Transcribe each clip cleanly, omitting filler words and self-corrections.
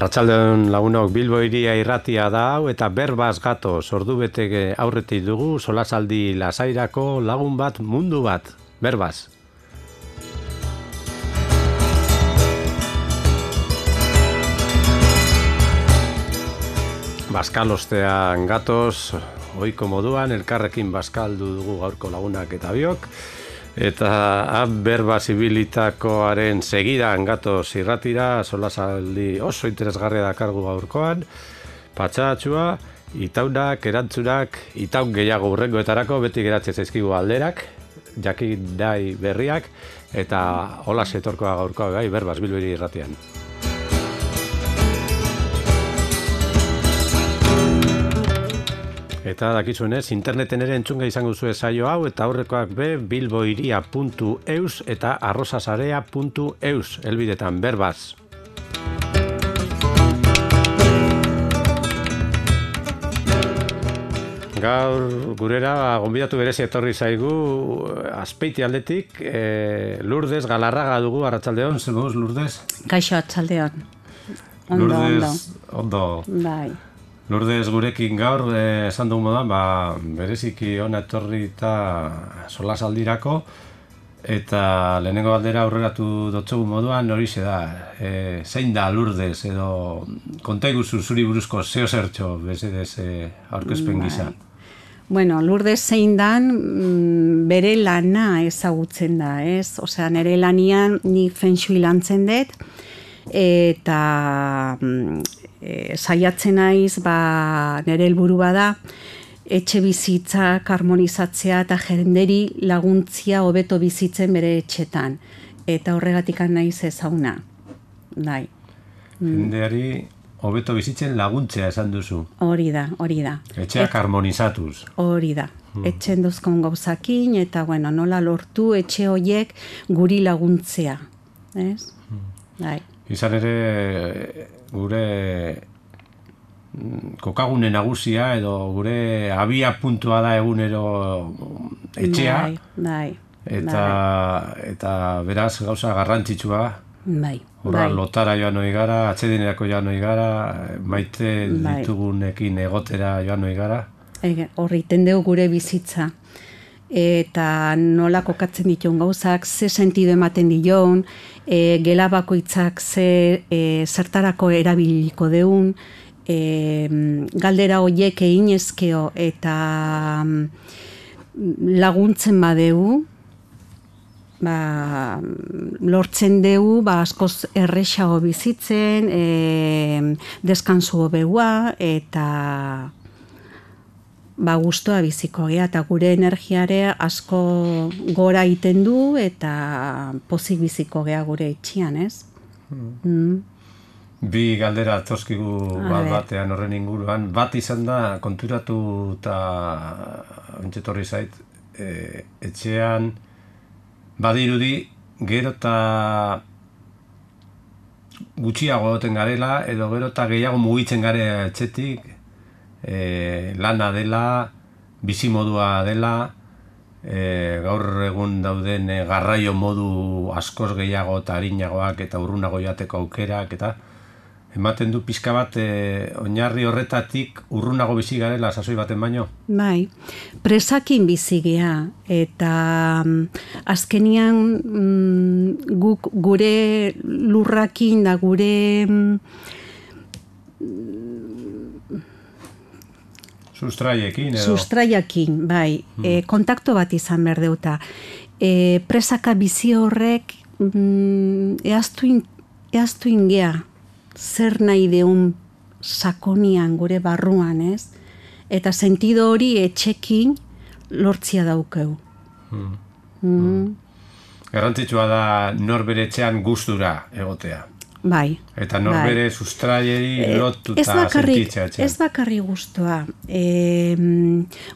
Arratsaldeon lagunok, Bilbo Hiria irratia da hau eta berbaz gatoz, ordubete aurretik dugu solasaldi lasairako lagun bat, mundu bat, berbaz. Baskalostean gatoz, ohiko moduan, elkarrekin baskaldu dugu gaurko lagunak eta biok, eta berba zibilitakoaren segidan gatoz irratira, solasaldi oso interesgarria dakargu gaurkoan, patxatxua, itaunak, erantzunak, itaun gehiago hurrengoetarako, beti geratzen zaizkigu alderak, jakindai berriak, eta hola setorkoa gaurkoa gai, berbaz Bilbo Hiria irratian. Eta dakizuenez, interneten ere entzunga izango zuen saio hau, eta aurrekoak be bilbohiria.eus eta arrozasarea.eus, helbidetan berbaz. Gaur gurera gonbidatu berezi etorri zaigu Azpeiti aldetik, Lourdes Galarraga dugu, arratsaldeon, zer moduz, Lourdes? Kaixo, arratsaldeon. Ondo. Bai. Lourdes gurekin gaur, esan dugu modan, bereziki hona etorri eta solasaldirako, eta lehenengo galdera aurreratu dotzugu moduan horixe da, zein da Lourdes, edo konta iguzu zuri buruzko zeo zertxo, bezedez aurkezpen gisa. Bueno, Lourdes zein dan bere lana ezagutzen da, ez? Osea, nire lanian ni feng shui lantzen dut, eta saiatzen naiz, nire helburu bada, etxe bizitzak harmonizatzea eta jenderi laguntzia hobeto bizitzen bere etxetan. Eta horregatik naiz ezaguna. Bai. Jendeari hobeto bizitzen laguntzea esan duzu. Hori da. Etxeak harmonizatuz. Hori da. Etxen dozkon gauzakin, eta nola lortu etxe horiek guri laguntzea. Ez? Bai. Izan ere, gure kokagune nagusia edo gure abia puntua da egunero etxea. Bai. Eta beraz gauza garrantzitsua. Bai. Horra lotara joan hori gara, atxedinerako joan hori gara, maite ditugunekin egotera joan hori gara. Horriten dugu gure bizitza. Eta nola kokatzen dituen gauzak, ze sentido ematen dion, gela bakoitzak zertarako erabiliko deun, galdera horiek egin ezkeo eta laguntzen badeu, lortzen dugu askoz errexago bizitzen, deskansu hobeua eta gustoa biziko gea, eta gure energiare asko gora egiten du eta pozik biziko gea gure etxian, ez? Bi galdera toskigu batean horren inguruan, bat izan da konturatu eta entzetorri zait, etxean badirudi gero eta gutxiago egoten garela, edo gero eta gehiago mugitzen gare etxetik, lana dela, bizimodua dela, gaur egun dauden garraio modu askoz gehiago eta arinagoak eta urrunago jateko aukerak, eta ematen du pixka bat oinarri horretatik urrunago bizi garela sasoi baten baino? Bai, presakin bizi gea, eta azkenian guk gure lurrakin da gure Sustraiekin, bai. Kontakto bat izan behar deuta. Presaka bizi horrek eaztu ingea zer nahi deun sakonian gure barruan, ez? Eta sentido hori etxekin lortzia daukeu. Garrantzitsua da norbere etxean gustura egotea. Bai. Eta norbere sustraieri lotuta sentitzea etxean. Ez bakarri gustoa.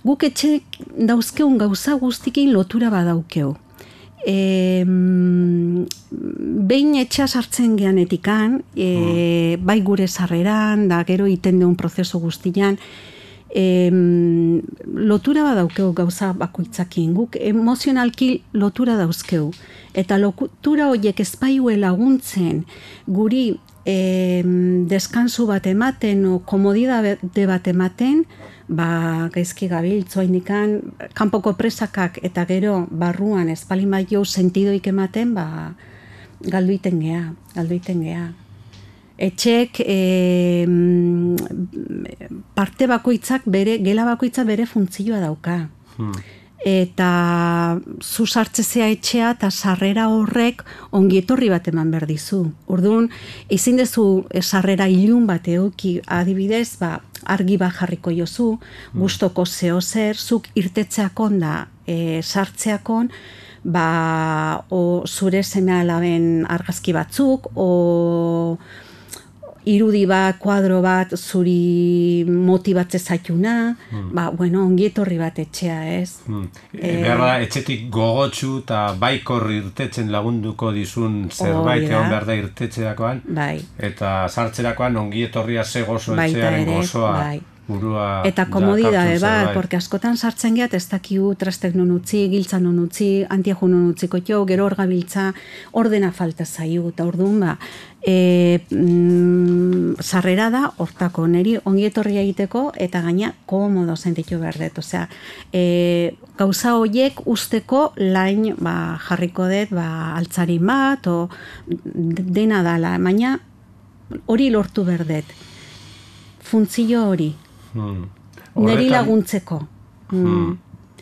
Guk etxe dauzkeun gauza guztikin lotura badaukeu. Behin etxea sartzen geanetikan, bai gure sarreran, da gero iten deun prozesu guztian, lotura badaukeu gauza bakoitzakin, guk emozionalki lotura dauzkeu, eta lotura horiek ezpaiue laguntzen guri deskansu bat ematen o komodidade bat ematen, gaizki gabiltz indikan kanpoko presakak eta gero barruan espalin bat jo sentidoik ematen, galdu iten gea. Etxek parte bakoitzak gela bakoitzak bere funtzioa dauka. Eta zu sartzezea etxea eta sarrera horrek ongietorri bat eman behar dizu. Orduan, ezin dezu sarrera ilun bat euki, adibidez, argi bat jarriko jozu, gustoko zeo zer, zuk irtetzeakon da sartzeakon, o zure seme alaben argazki batzuk, o irudi bat, kuadro bat, zuri motibatze zaituna, ongietorri bat etxea, ez? Behar etxetik gogotsu eta baikor irtetzen lagunduko dizun zerbait egon behar da irtetzeakoan, eta sartzerakoan ongietorria ze gozo etxearen gozoa. Eta komodidade bat, porque askotan sartzen gehat ez dakiu trastek non utzi, giltza non utzi, antiaju non utziko jo, gero hor gabiltza ordena falta zaiu, eta orduan sarrera da hortako, niri ongietorria egiteko eta gaina komodo sentitu behar dut, osea, gauza horiek usteko lain jarriko dut altzarin bat, o dena dala, baina hori lortu behar dut, funtzio hori. Neri laguntzeko.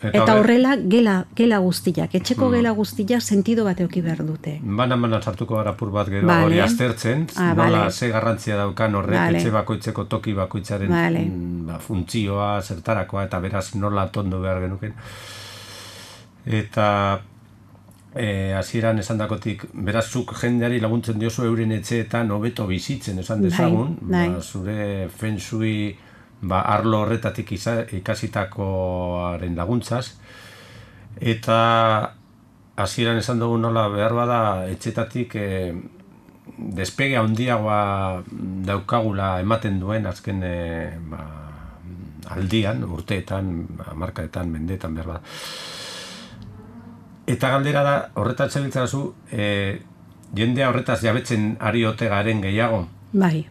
Eta horrela gela guztiak, etxeko gela guztiak sentido bat euki behar dute. Banan sartuko gara apur bat gero hori aztertzen, nola ze garrantzia daukan horrek etxe bakoitzeko toki bakoitzaren funtzioa, zertarakoa, eta beraz nola tondo behar genuken. Eta hasieran esandakotik, beraz zuk jendeari laguntzen diozu euren etxeetan hobeto bizitzen esan dezagun, zure feng shui arlo horretatik ikasitakoaren laguntzaz, eta hasieran esan dugu nola behar bada etxetatik despege handiagoa daukagula ematen duen azken aldian, urteetan, hamarkadetan, mendeetan behar bada. Eta galdera da, horretan zebiltzarazu, jendea horretaz jabetzen ari ote garen gehiago. Bai.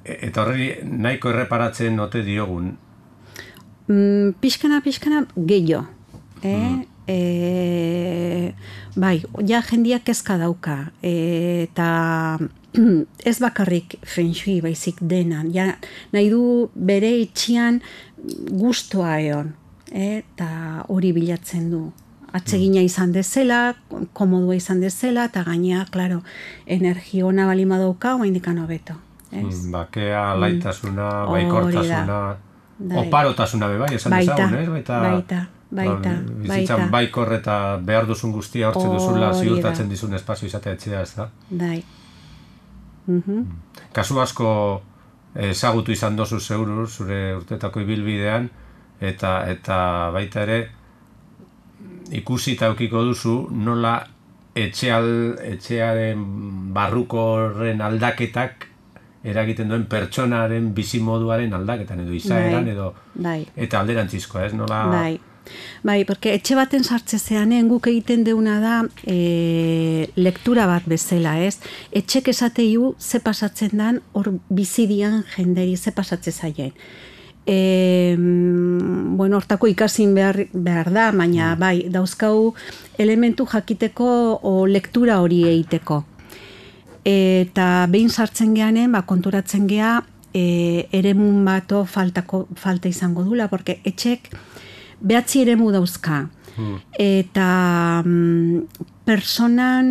Eta horri nahiko erreparatzen ote diogun? Pixkana gehiago. Bai, ja jendiak kezka dauka. Eta ez bakarrik feng shui baizik denan. Ja, nahi du bere etxean gustoa egon. Eta hori bilatzen du. Atsegina izan dezela, komodua izan dezela, eta gainea, klaro, energia ona balima dauka, oaindikan hobeto. Bakea, laitasuna, baikortasuna, oparotasuna bai, esan dezagun, Baita. Bizitzan baikor eta behar duzun guztia hortze duzula ziurtatzen dizun espazio izatea etxea, ez da? Bai. Kasu asko ezagutu izan dozu zeuru, zure urtetako ibilbidean, eta baita ere, ikusi eta eukiko duzu nola etxearen barruko horren aldaketak eragiten duen pertsonaren bizimoduaren aldaketan edo izaeran edo eta alderantzizkoa, ez? Nola... Bai, porque etxe baten sartzezeanen guk egiten deuna da lektura bat bezala, ez? Etxek esateiu ze pasatzen dan hor bizidian jenderi ze pasatze zaien. Hortako ikasin behar da, baina bai, dauzkau elementu jakiteko o lektura hori egiteko. Eta behin sartzen geanen, konturatzen gea eremun bato falta izango dula, porque etxek behatzi eremu dauzka. Eta personan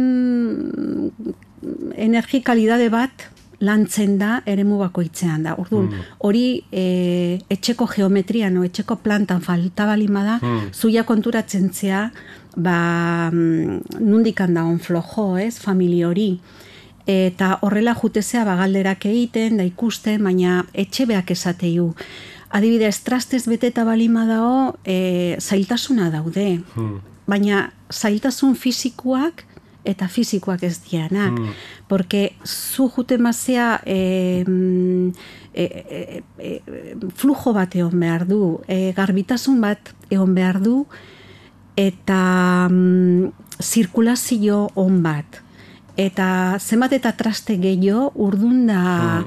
energikalidade bat lantzen da eremu bakoitzean da. Orduan, hori etxeko geometrian o etxeko plantan falta balima da, zuia konturatzen zea, nundikan da on flojo, ez, familia hori. Eta horrela jutezea galderak egiten, da ikusten, baina etxe beak esateiu. Adibidez, trastez beteta balima dao, zailtasuna daude. Baina zailtasun fisikoak eta fisikoak ez dianak. Porque zu jute mazea flujo bat egon behar du, garbitasun bat egon behar du, eta zirkulazio on bat. eta zenbat eta traste gehiago, urdun da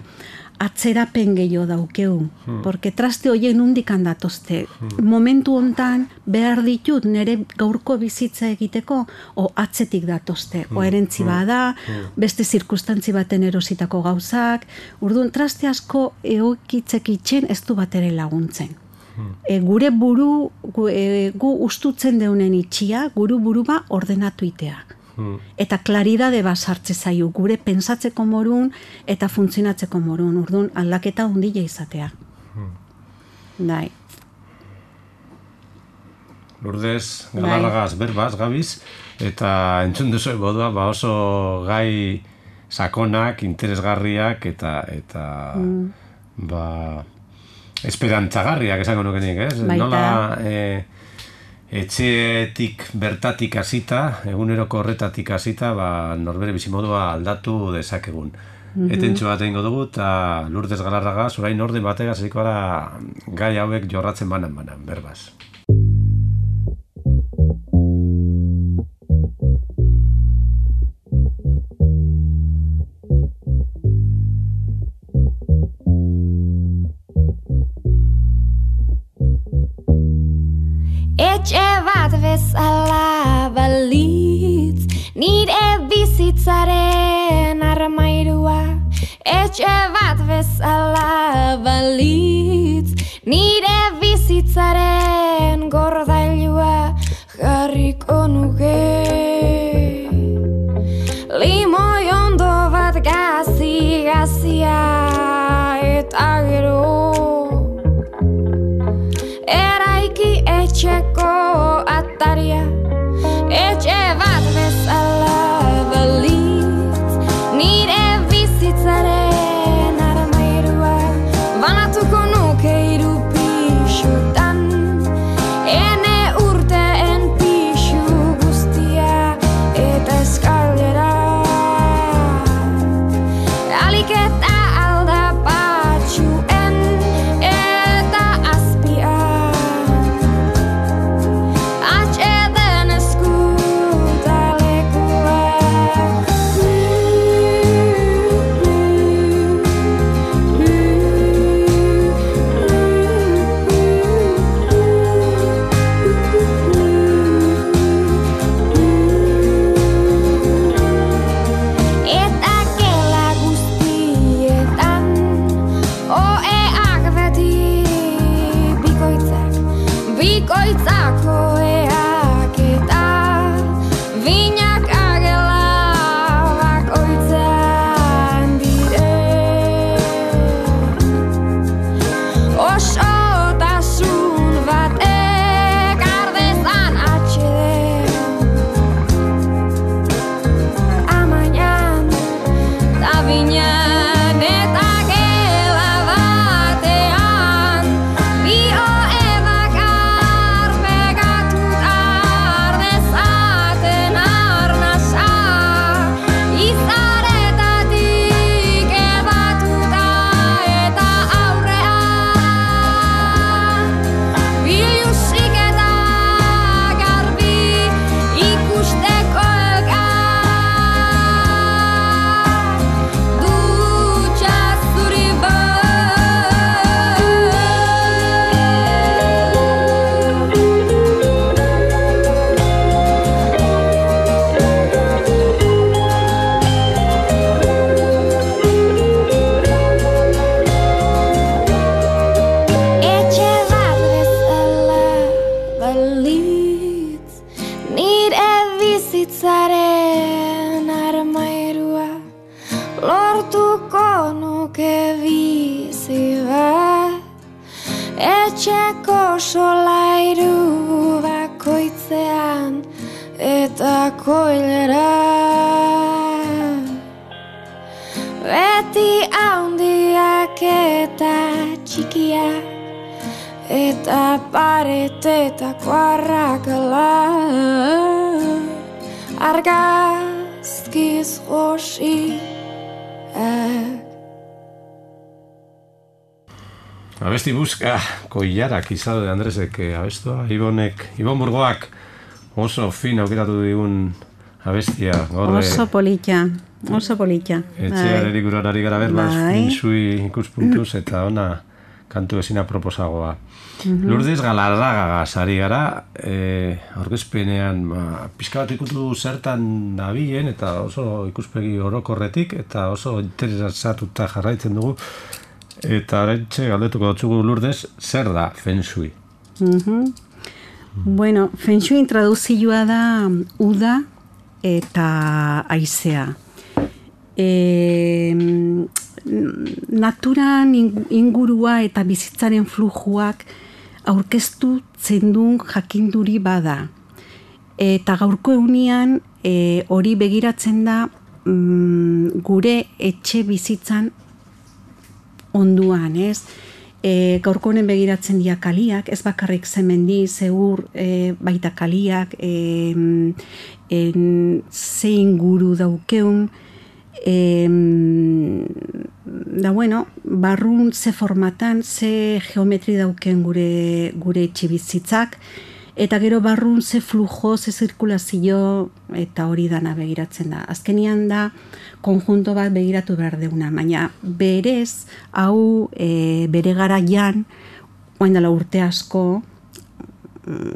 atzerapen gehiago daukeu. Porque traste horien nondik datozte. Momentu hontan behar ditut nire gaurko bizitza egiteko, o atzetik datozte. O erentzi bada, beste zirkustantzi baten erositako gauzak. Urdun, traste asko egokitzek itxen ez du bat ere laguntzen. Gure buru, gu ustutzen deunen itxia, buru ba ordenatu itea. Eta klaridade bat sartze zaio, gure pensatzeko morun eta funtzionatzeko morun, urdun aldaketa hundile izatea. Dai. Lourdes Galarragaz berbaz, gabiz, eta entzun duzu bodua, oso gai sakonak, interesgarriak eta esperantzagarriak esango nukenik, ez? Nola etxeetik bertatik hasita, eguneroko horretatik hasita, norbere bizimodua aldatu dezakegun. Etentxo bat egingo dugu, eta Lourdes Galarragaz, orain orden bategaz hasiko gara gai hauek jorratzen banan, berbaz. Etxe bat bezala balitz, nire bizitzaren armairua. Etxe bat bezala balitz, nire bizitzaren gordailua jarriko nuke. Limoi ondo bat gazia eta gero eraiki etxeko ataria. Etxe bat bezala balitz, nire bizitzaren armairua. Banatuko nuke 3 pixutan, ene urteen pixu guztia eta eskalera. Alik eta aldapatxuen eta azpian, atxeden eskutalekua. Eta gela guztietan, oeak beti bikoitzak oeak eta binak agela bakoitzean dire. Osotasun batek ardezan atxeden, amainan da binan eta gela batean, bi oe bakar pegatuta ardezaten arnasa, izaretatik ebatuta eta aurrean, bilusik eta garbi ikusteko elkar, dutxa zuri Etxe bat bezala balitz, nire bizitzaren armairua. Lortuko nuke bizi bat, etxeko solairu bakoitzean eta koilera. Beti handiak eta txikiak, eta paretetako arrakala, argazkiz josiak. Abesti buska koilarak izado de Andresek abestua, Ibon Burgoak oso fin aukeratu digun abestia. Gaur, oso polita. Etxearen inguruan ari gara feng shui ikuspuntuz eta ona kantu ezina proposagoa. Lourdes Galarragagaz ari gara, aurkezpenean pixka bat ikutu zertan dabilen eta oso ikuspegi orokorretik eta oso interesatuta jarraitzen dugu. Eta oraintxe galdetuko dutzugu Lourdes, zer da feng shui? Bueno, feng shui traduzioa da uda eta haizea. Naturan ingurua eta bizitzaren flujuak aurkeztu zendun jakinduri bada. Eta gaurko egunean hori begiratzen da gure etxe bizitzan onduan, ez? Gaurko honen begiratzen dira kaliak, ez bakarrik zemendi, zeur baita kaliak, ze inguru daukeun, da bueno, barrun ze formatan, ze geometri dauken gure etxibizitzak, eta gero barrun ze flujo, ze zirkulazio, eta hori dana begiratzen da. Azkenian da, konjunto bat begiratu behar deuna, baina berez, hau bere garaian, oain dela urte asko,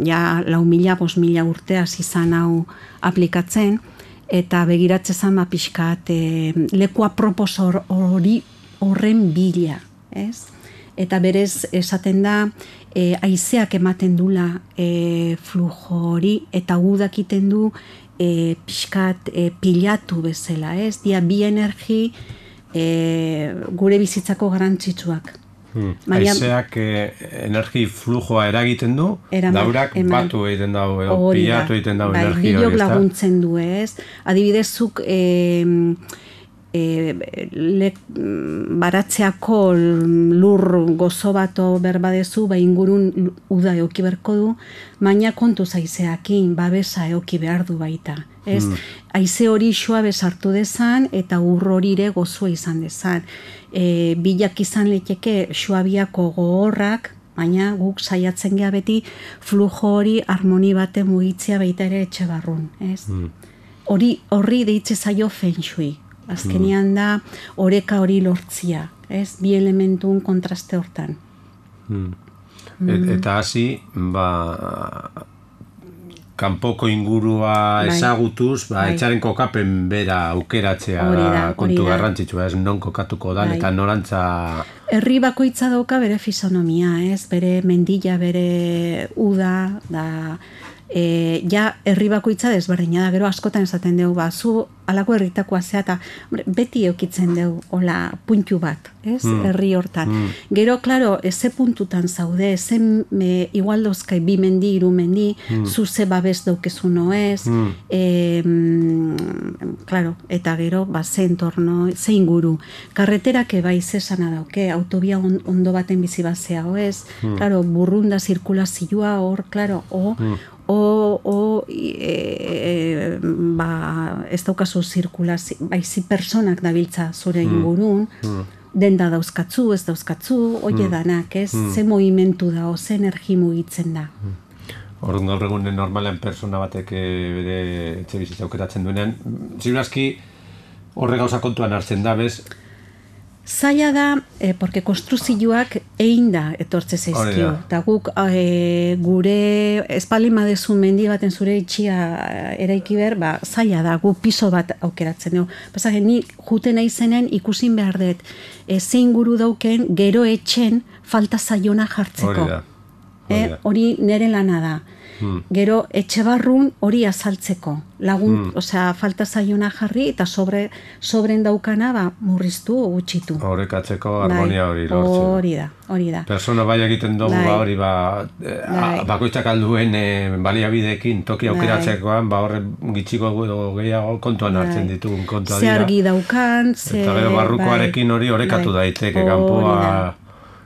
ja 4.000, 5.000 urteaz izan hau aplikatzen, eta begiratzen pixkat leku apropos horren bila, ez? Eta berez esaten da haizeak ematen dula flujo hori eta udak iten du pixkat pilatu bezala, ez? Dia bi energi gure bizitzako garantzitsuak. Haizeak energi flujoa eragiten du, daurak batu egiten dau, pilatu egiten dau energi hori, ez da? Laguntzen du, ez? Adibidezuk baratzeako lur gozo bato berbadezu, ingurun uda eoki berko du, baina kontu haizeakin babesa eoki behar du baita. Ez? Haize hori xoa besartu dezan eta ur horire gozua izan dezan. Bilak izan leteke xoabiako gogorrak, baina guk saiatzen gea beti flujo hori harmoni bate mugitzea baita ere etxe barrun. Horri deitze zaio feng shui. Azkenean da oreka hori lortzia, ez? Bi elementun kontraste hortan. Eta hasi, kanpoko ingurua ezagutuz, etxaren kokapen bera aukeratzea da kontu garrantzitsua, ez non kokatuko dan, eta norantza... Herri bakoitza dauka bere fisonomia, ez? Bere mendila, bere uda, da... Ja, herri bakoitza desberdina da, gero askotan esaten dugu, zu alako herritakoa zea, eta beti eukitzen dugu, hola, puntu bat, ez? Herri hortan. Gero, klaro, eze puntutan zaude, igual dozkai bi mendi, hiru mendi, zu ze babes daukezu noez, klaro, eta gero, ze entorno, ze inguru. Karreterak bai zesana dauke, autobia ondo baten bizi bazea, ez? Klaro, burrunda zirkulazioa hor, klaro, ez daukazu zirkulazio, baizi personak dabiltza zure ingurun, denda dauzkatzu, ez dauzkatzu, oie danak, ez? Ze movimentu da, ze energi mugitzen da. Orduan gaur egunen normalean persona batek bere etxe bizitza aukeratzen duenean, ziurazki horre gauza kontuan hartzen da, bez? Zaila da, porque konstruzioak egin da etortze zaizkio. Eta guk gure espalin badezu mendi baten zure itxia eraiki behar, zaila da, gu piso bat aukeratzen dugu. Pasage, ni juten aizenen ikusin behar dut, zein guru dauken gero etxen falta zaiona jartzeko. Hori nire lana da. Gero etxe barrun hori azaltzeko. Lagun, falta zaiona jarri eta sobren daukana murriztu o gutxitu. Horrekatzeko harmonia hori lortzen. Hori da. Persona bai egiten dugu hori bakoitzak alduen baliabideekin toki aukeratzekoan horre gitxiko gehiago kontuan hartzen ditugun kontua dira. Ze argi daukan, eta gero barrukoarekin hori horrekatu daiteke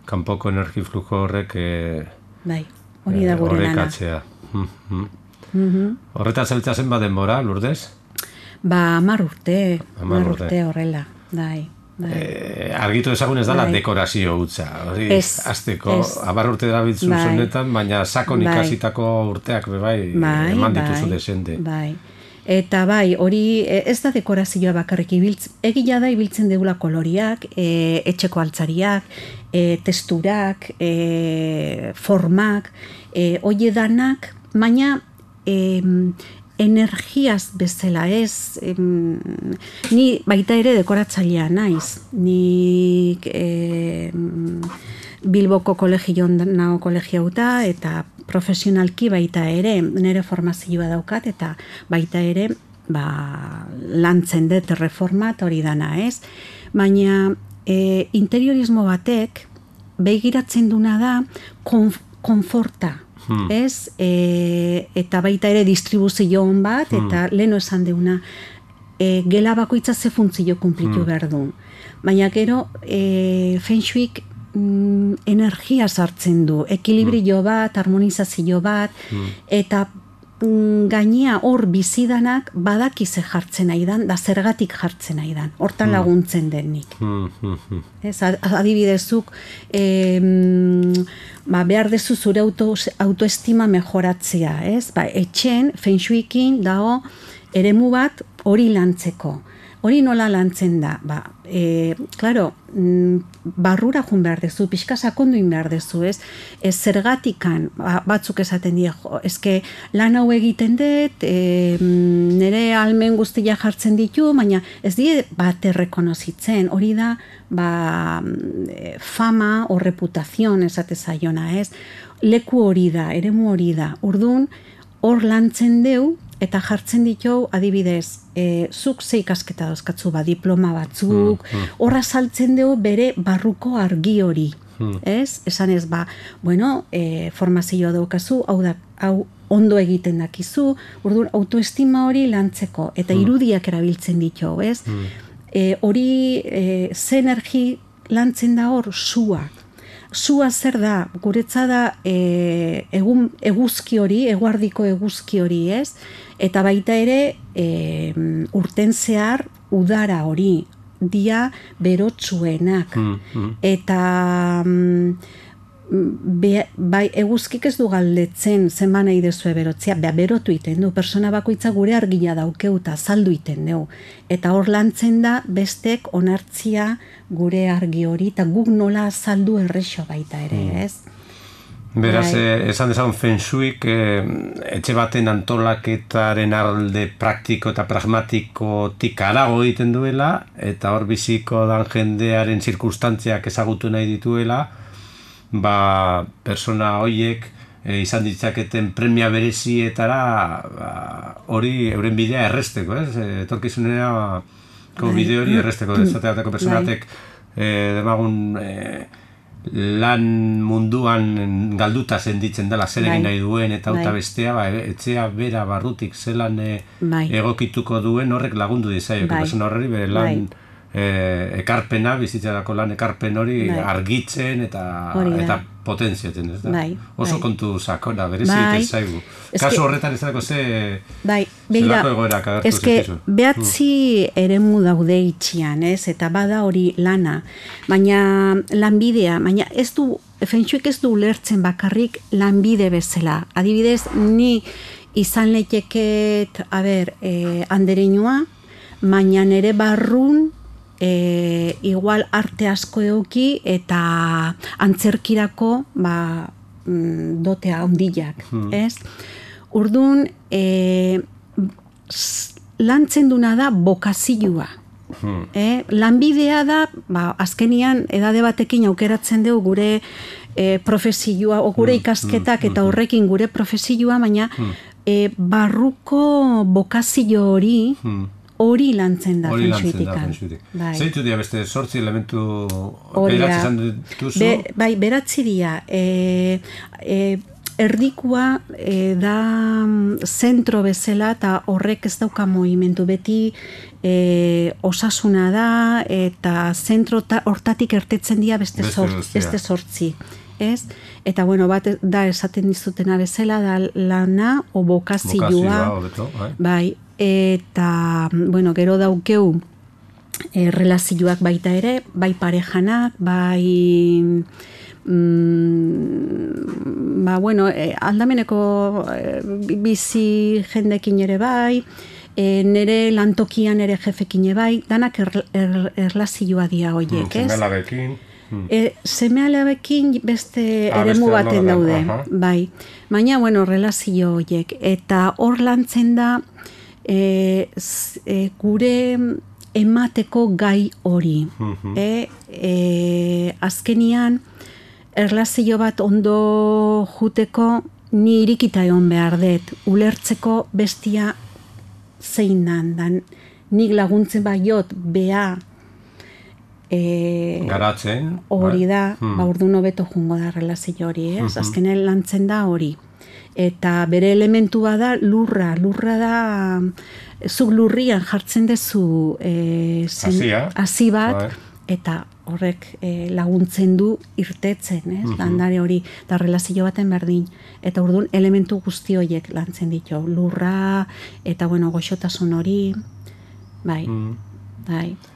kanpoko energi flujo horrek hori da gure lana. Horrekatzea. Horretaz zeltza zen denbora, Lourdes? 10 urte horrela, argitu ezagun ez dala dekorazio hutsa. Azteko, 10 urte darabiltzu zonetan, baina sakon ikasitako urteak eman dituzu desente. Eta bai, hori ez da dekorazioa bakarrik egia da ibiltzen deula koloriak, etxeko altzariak, testurak, formak, hori danak, baina energiaz bezala ez, ni baita ere dekoratzailea naiz, nik Bilboko kolegion nago kolegiauta eta profesionalki baita ere, nire formazioa daukat eta baita ere lantzen dut reformat hori dana ez, baina interiorismo batek begiratzen duna da konforta, ez? Eta baita ere distribuzion bat, eta leheno esan deuna, gela bakoitza ze funtzio kumplitu behar du. Baina gero, Feng Shuik energia sartzen du, ekilibrio bat, harmonizazio bat, eta gainea hor bizidanak badaki ze jartzen nahi dan, da zergatik jartzen nahi dan, hortan laguntzen denik. Adibidezuk, behar dezu zure autoestima mejoratzea, ez? Etxen, Feng Shuikin dago eremu bat hori lantzeko. Hori nola lantzen da? Claro, barrura jun behar dezu, pixka sakonduin behar dezu, ez? Zergatikan, batzuk esaten die, eske lan hau egiten dut, nire almen guztia jartzen ditu, baina ez die bat errekonozitzen, hori da, fama o reputazion esate zaiona, ez? Leku hori da, eremu hori da, orduan, hor lantzen deu, eta jartzen ditu, adibidez, zuk ze ikasketa dauzkatzu, diploma batzuk, horra saltzen dugu bere barruko argi hori, ez? Esan ez, bueno, formazioa daukazu, hau ondo egiten dakizu, orduan, autoestima hori lantzeko, eta irudiak erabiltzen ditu, ez? Hori, ze energi lantzen da hor, sua. Sua zer da, guretza da eguzki hori, eguardiko eguzki hori, ez? Eta baita ere urten zehar udara hori, dia berotsuenak. Eta eguzkik ez du galdetzen zenba nahi dezue berotzea, berotu iten du, persona bakoitza gure argia daukeuta, saldu iten du. Eta hor lantzen da bestek onartzia gure argi hori, eta guk nola saldu errexo baita ere, ez? Beraz, esan dezagun Feng Shuik etxe baten antolaketaren alde praktiko eta pragmatikotik harago egiten duela, eta hor biziko dan jendearen zirkunstantziak ezagutu nahi dituela, persona horiek izan ditzaketen premia berezietara hori euren bidea erresteko, ez? Etorkizunera bide hori erresteko, ezateatako personatek demagun lan munduan galduta senditzen dela zer egin nahi duen eta auta bestea, etxea bera barrutik zelan egokituko duen horrek lagundu dizaio, persona horreri bere lan ekarpena, bizitzarako lan ekarpen hori argitzen eta potentziatzen, ez da? Oso kontu sakona, berezi egiten zaigu. Kasu horretan ez dago zelako egoerak agertu zekizu. Behatzi eremu daude itxian, ez? Eta bada hori lana, baina lanbidea, baina ez du, Feng Shuik ez du ulertzen bakarrik lanbide bezala. Adibidez, ni izan leiteket, andereinua, baina nere barrun igual arte asko euki eta antzerkirako dotea ondilak, ez? Orduan, lantzen duna da bokazioa. Lanbidea da, azkenian edade batekin aukeratzen dugu gure profesioa, o gure ikasketak eta horrekin gure profesioa, baina barruko bokazio hori lantzen da Feng Shuitikan. Zeitu dira beste 8 elementu beratzi izan dituzu? Beratzi dira. Erdikua da zentro bezala eta horrek ez dauka movimentu beti osasuna da eta zentro hortatik ertetzen dira beste 8. Ez? Eta bueno, bat da esaten dizutena bezala da lana o bokazioa. Bai. Eta, bueno, gero daukeu relazioak baita ere, bai parejanak, bai bueno, aldameneko bizi jendekin ere bai, nere lantokian ere jefekin bai, danak erlazioa dia hoiek, ez? Seme-alabekin. Seme-alabekin beste eremu baten daude, bai. Baina, bueno, relazio hoiek. Eta hor lantzen da, gure emateko gai hori. Azkenian, erlazio bat ondo juteko, ni irikita egon behar dut, ulertzeko bestia zein dan, nik laguntzen baiot bea garatzen. Hori da, orduan hobeto jungo da relazio hori, ez? Azkenen lantzen da hori. Eta bere elementua da lurra da, zuk lurrian jartzen dezu hasi bat, eta horrek laguntzen du irtetzen, ez? Landare hori, da relazio baten berdin. Eta orduan elementu guzti horiek lantzen ditu. Lurra, eta bueno, goxotasun hori, bai.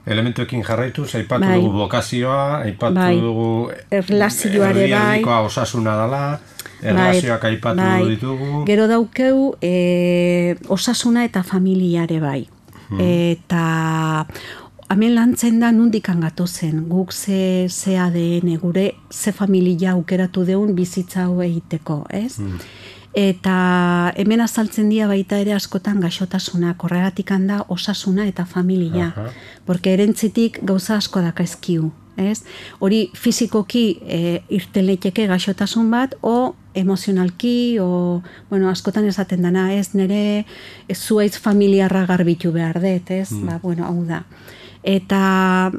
Elementuekin jarraituz, aipatu dugu bokazioa, aipatu dugu erlazioare erdialdikoa osasuna dela, erlazioak aipatu ditugu. Gero daukeu osasuna eta familiare bai. Eta hemen lantzen da nundikan gatozen, guk ze ADN, gure ze familia aukeratu deun bizitza hau egiteko, ez? Eta hemen azaltzen dira baita ere askotan gaixotasuna, horregatik da osasuna eta familia, porque erentzitik gauza asko dakaizkiu, ez? Hori fizikoki irteleteke gaixotasun bat, o emozionalki, o, bueno, askotan esaten dana, ez? Nere zuaitz familiarra garbitu behar dut, ez? Ba, bueno, hau da. Eta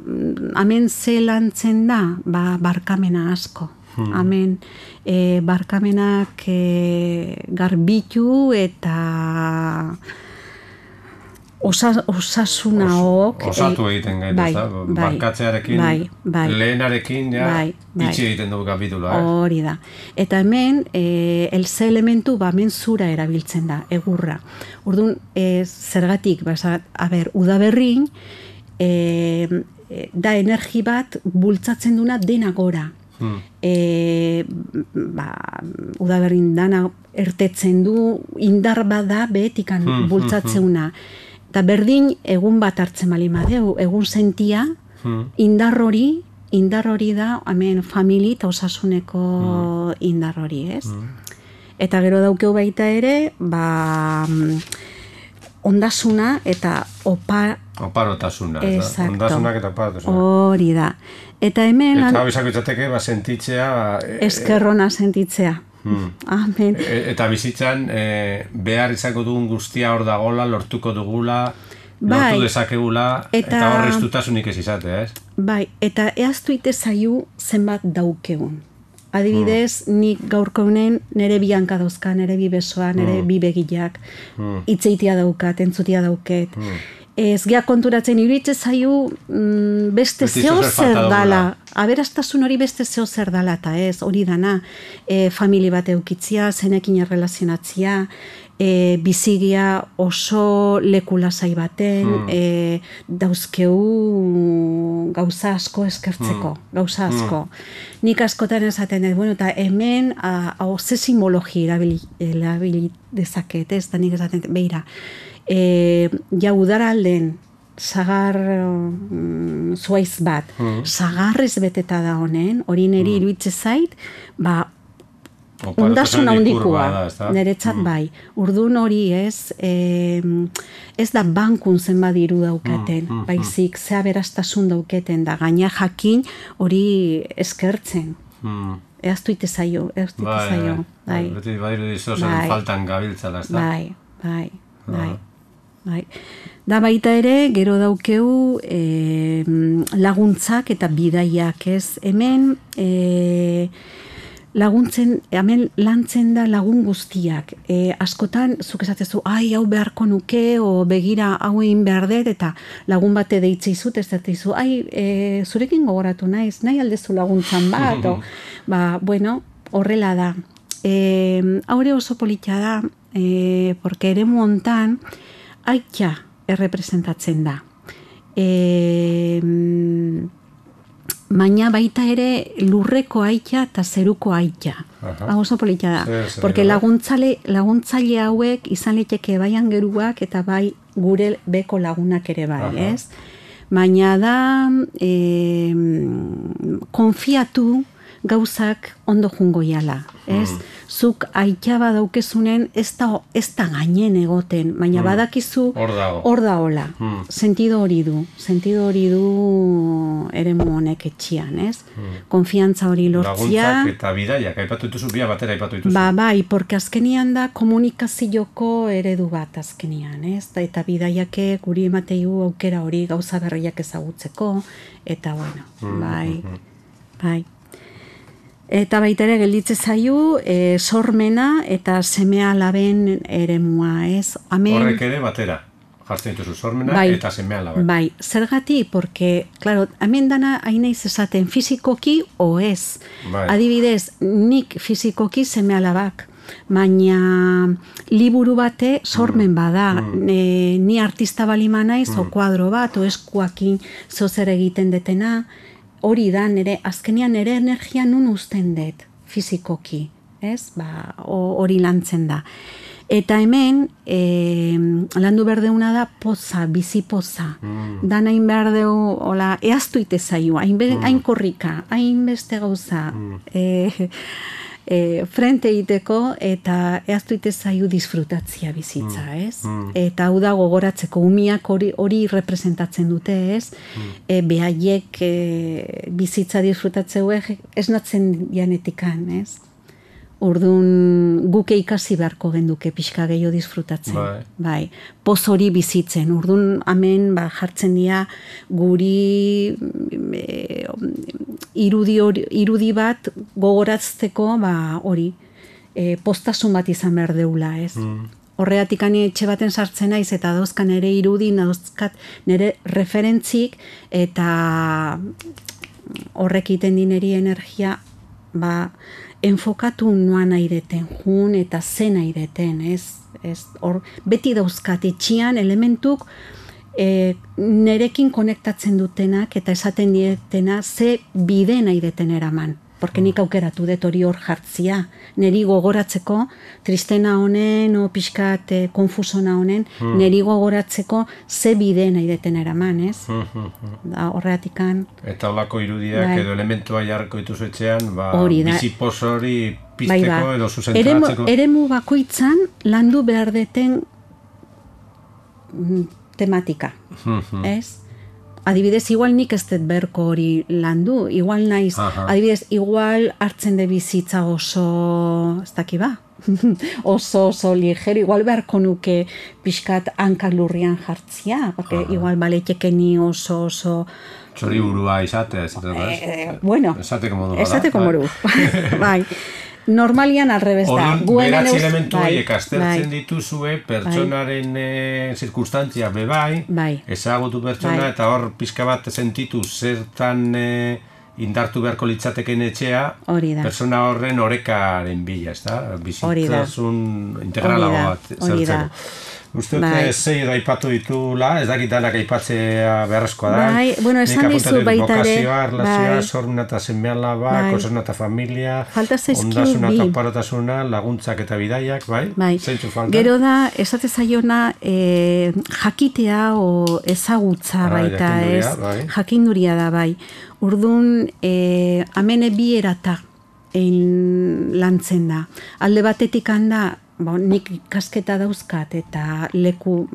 hemen ze lantzen da, ba, barkamena asko. Hemen barkamenak garbitu eta osasuna hok osatu egiten gaitu, barkatzearekin lehenarekin itxi egiten dugu kapitula. Hori da. Eta hemen elze elementu hemen zura erabiltzen da, egurra. Orduan, zergatik, udaberrin da energi bat bultzatzen duna dena gora. Udaberrin dana ertetzen du, indar bada behetikan bultzatzeuna. Eta berdin egun bat hartzen bali madeu, egun sentia, indar hori da, hemen famili eta osasuneko indar hori, ez? Eta gero daukeu baita ere, ondasuna eta oparotasuna, ondasunak eta oparotasuna. Hori da. Eta hemen... Eta hau izako izateke, sentitzea... Eskerrona sentitzea. Amen. Eta bizitzan, behar izango dugun guztia hor dagola, lortuko dugula, lortu dezakegula, eta horre istutasunik ez izatea, ez? Bai, eta eaztu ite zaiu zenbat daukegun. Adibidez, nik gaurko honen nere bi hanka dauzka, nere bi besoa, nere bi begiak, itzeitia daukat, entzutia dauket. Ez gea konturatzen iruditzen zaiu beste zeo zer dala. Aberastasun hori beste zeo zer dala, eta ez, hori dana, famili bat eukitzia, zenekin errelazionatzia, bizigia oso lekulasai baten, dauzkeu gauza asko eskertzeko, gauza asko. Nik askotan esaten dut, bueno, eta hemen ze simbologi erabili dezaket, ez, eta nik esaten dut, beira, ja udaralden sagar zuaiz bat, sagarrez beteta da honen, hori niri iruitze zait, ondasun handikua, niretzat bai. Urdun hori ez da bankun zenbat diru daukaten, baizik zea berastasun dauketen da, gaina jakin hori eskertzen. Eaztu ite zaio, Beti badiru dizozen faltan gabiltzala, ez da? Bai. Da baita ere, gero daukeu laguntzak eta bidaiak, ez? Hemen hemen lantzen da lagun guztiak. Askotan, zuk esatezu, hau beharko nuke, o begira hau egin behar dut, eta lagun bate deitze izut, ez dut izu, zurekin gogoratu naiz, nahi aldezu laguntzan bat, bueno, horrela da. Haure oso politia da, porque ere montan, aitza errepresentatzen da. baina baita ere lurreko aita eta zeruko aita. Hau oso polita da. Porque laguntzaile hauek izan liteke bai angeruak eta bai gure beko lagunak ere bai, ez? Baina da konfiatu gauzak ondo jungo jala, ez? Zuk aita badaukezunen ez da gainen egoten, baina badakizu hor da hola. Sentido hori du eremu honek etxian, ez? Konfiantza hori lortzia. Laguntzak eta bidaiak, aipatu dituzu, bia batera aipatu dituzu. Bai, porque azkenian da komunikazioko eredu bat azkenian, ez? Eta bidaiake guri emateiu aukera hori gauza berriak ezagutzeko, eta bueno, bai. Eta baita ere gelditze zaio sormena eta seme-alaben eremua, ez? Horrek ere batera, jartzen dituzu sormena eta seme-alaben. Bai, zergatik, porque, claro, hemen dana hainaiz esaten fizikoki o ez. Adibidez, nik fizikoki seme-alabak, baina liburu bate sormen bada. Ni artista balima naiz, o kuadro bat, o eskuakin zozer egiten detena, hori da, azkenean nire energia nun uzten dut, fizikoki, ez? Hori lantzen da. Eta hemen, landu berdeuna da poza, bizi poza. Dan hain berdeu, hola, eaztu ite zaio, hain korrika, hain beste gauza, frente egiteko eta eaztu ite zaio disfrutatzia bizitza, ez? Eta hau da gogoratzeko umiak hori representatzen dute, ez? Behaiek bizitza disfrutatzeue esnatzen janetikan, ez? Orduan guke ikasi beharko genduke pixka gehiago disfrutatzen. Bai. Poz hori bizitzen. Orduan hemen jartzen dira guri irudi bat gogoratzeko hori postasun bat izan behar deula, ez? Horreatik etxe baten sartzen naiz eta dauzkan nire irudi, dauzkat nire referentzik eta horrek iten dineri energia enfokatu noan aireten, jun eta zen aireten, ez? Beti dauzkat etxian elementuk nerekin konektatzen dutenak eta esaten dietena ze bide nahi deten eraman. Porque nik aukeratu dut hori hor jartzia. Neri gogoratzeko, tristena honen, o pixkat konfusona honen, neri gogoratzeko ze bide nahi deten eraman, ez? Horreatikan. Eta holako irudiak edo elementua jarriko dituzu etxean, bizipoz hori pizteko edo zuzentratzeko. Eremu bakoitzan landu behar deten tematika, ez? Adibidez, igual nik ez dut berko hori landu, igual naiz, adibidez, igual hartzen de bizitza oso, ez daki ba, oso ligero, igual beharko nuke pixkat hankak lurrian jartzia, porque igual baletekeni oso... Txori burua izatea, bueno, esateko moru, bai. Normalian alrebez da. Beratzi elementu horiek aztertzen dituzue, pertsonaren zirkunstantzia bebai, ezagutu pertsona, eta hor pixka bat sentitu zertan indartu beharko litzateken etxea, pertsona horren orekaren bila, ez da? Bizitzasun integrala bat zertzeko. Uste dute zei aipatu ditula, ez dakit danak aipatzea beharrezkoa da. Bueno, esan dizu baita ere. Bokazioa, relazioa, sormena eta seme-alaba, kosasuna eta familia, ondasuna eta oparotasuna, laguntzak eta bidaiak, bai? Zeintzu falta? Gero da, esate zaiona jakitea o ezagutza baita, ez? Jakinduria da, bai. Urduan, amene bi erata lantzen da. Alde batetik handa, nik ikasketa dauzkat eta leku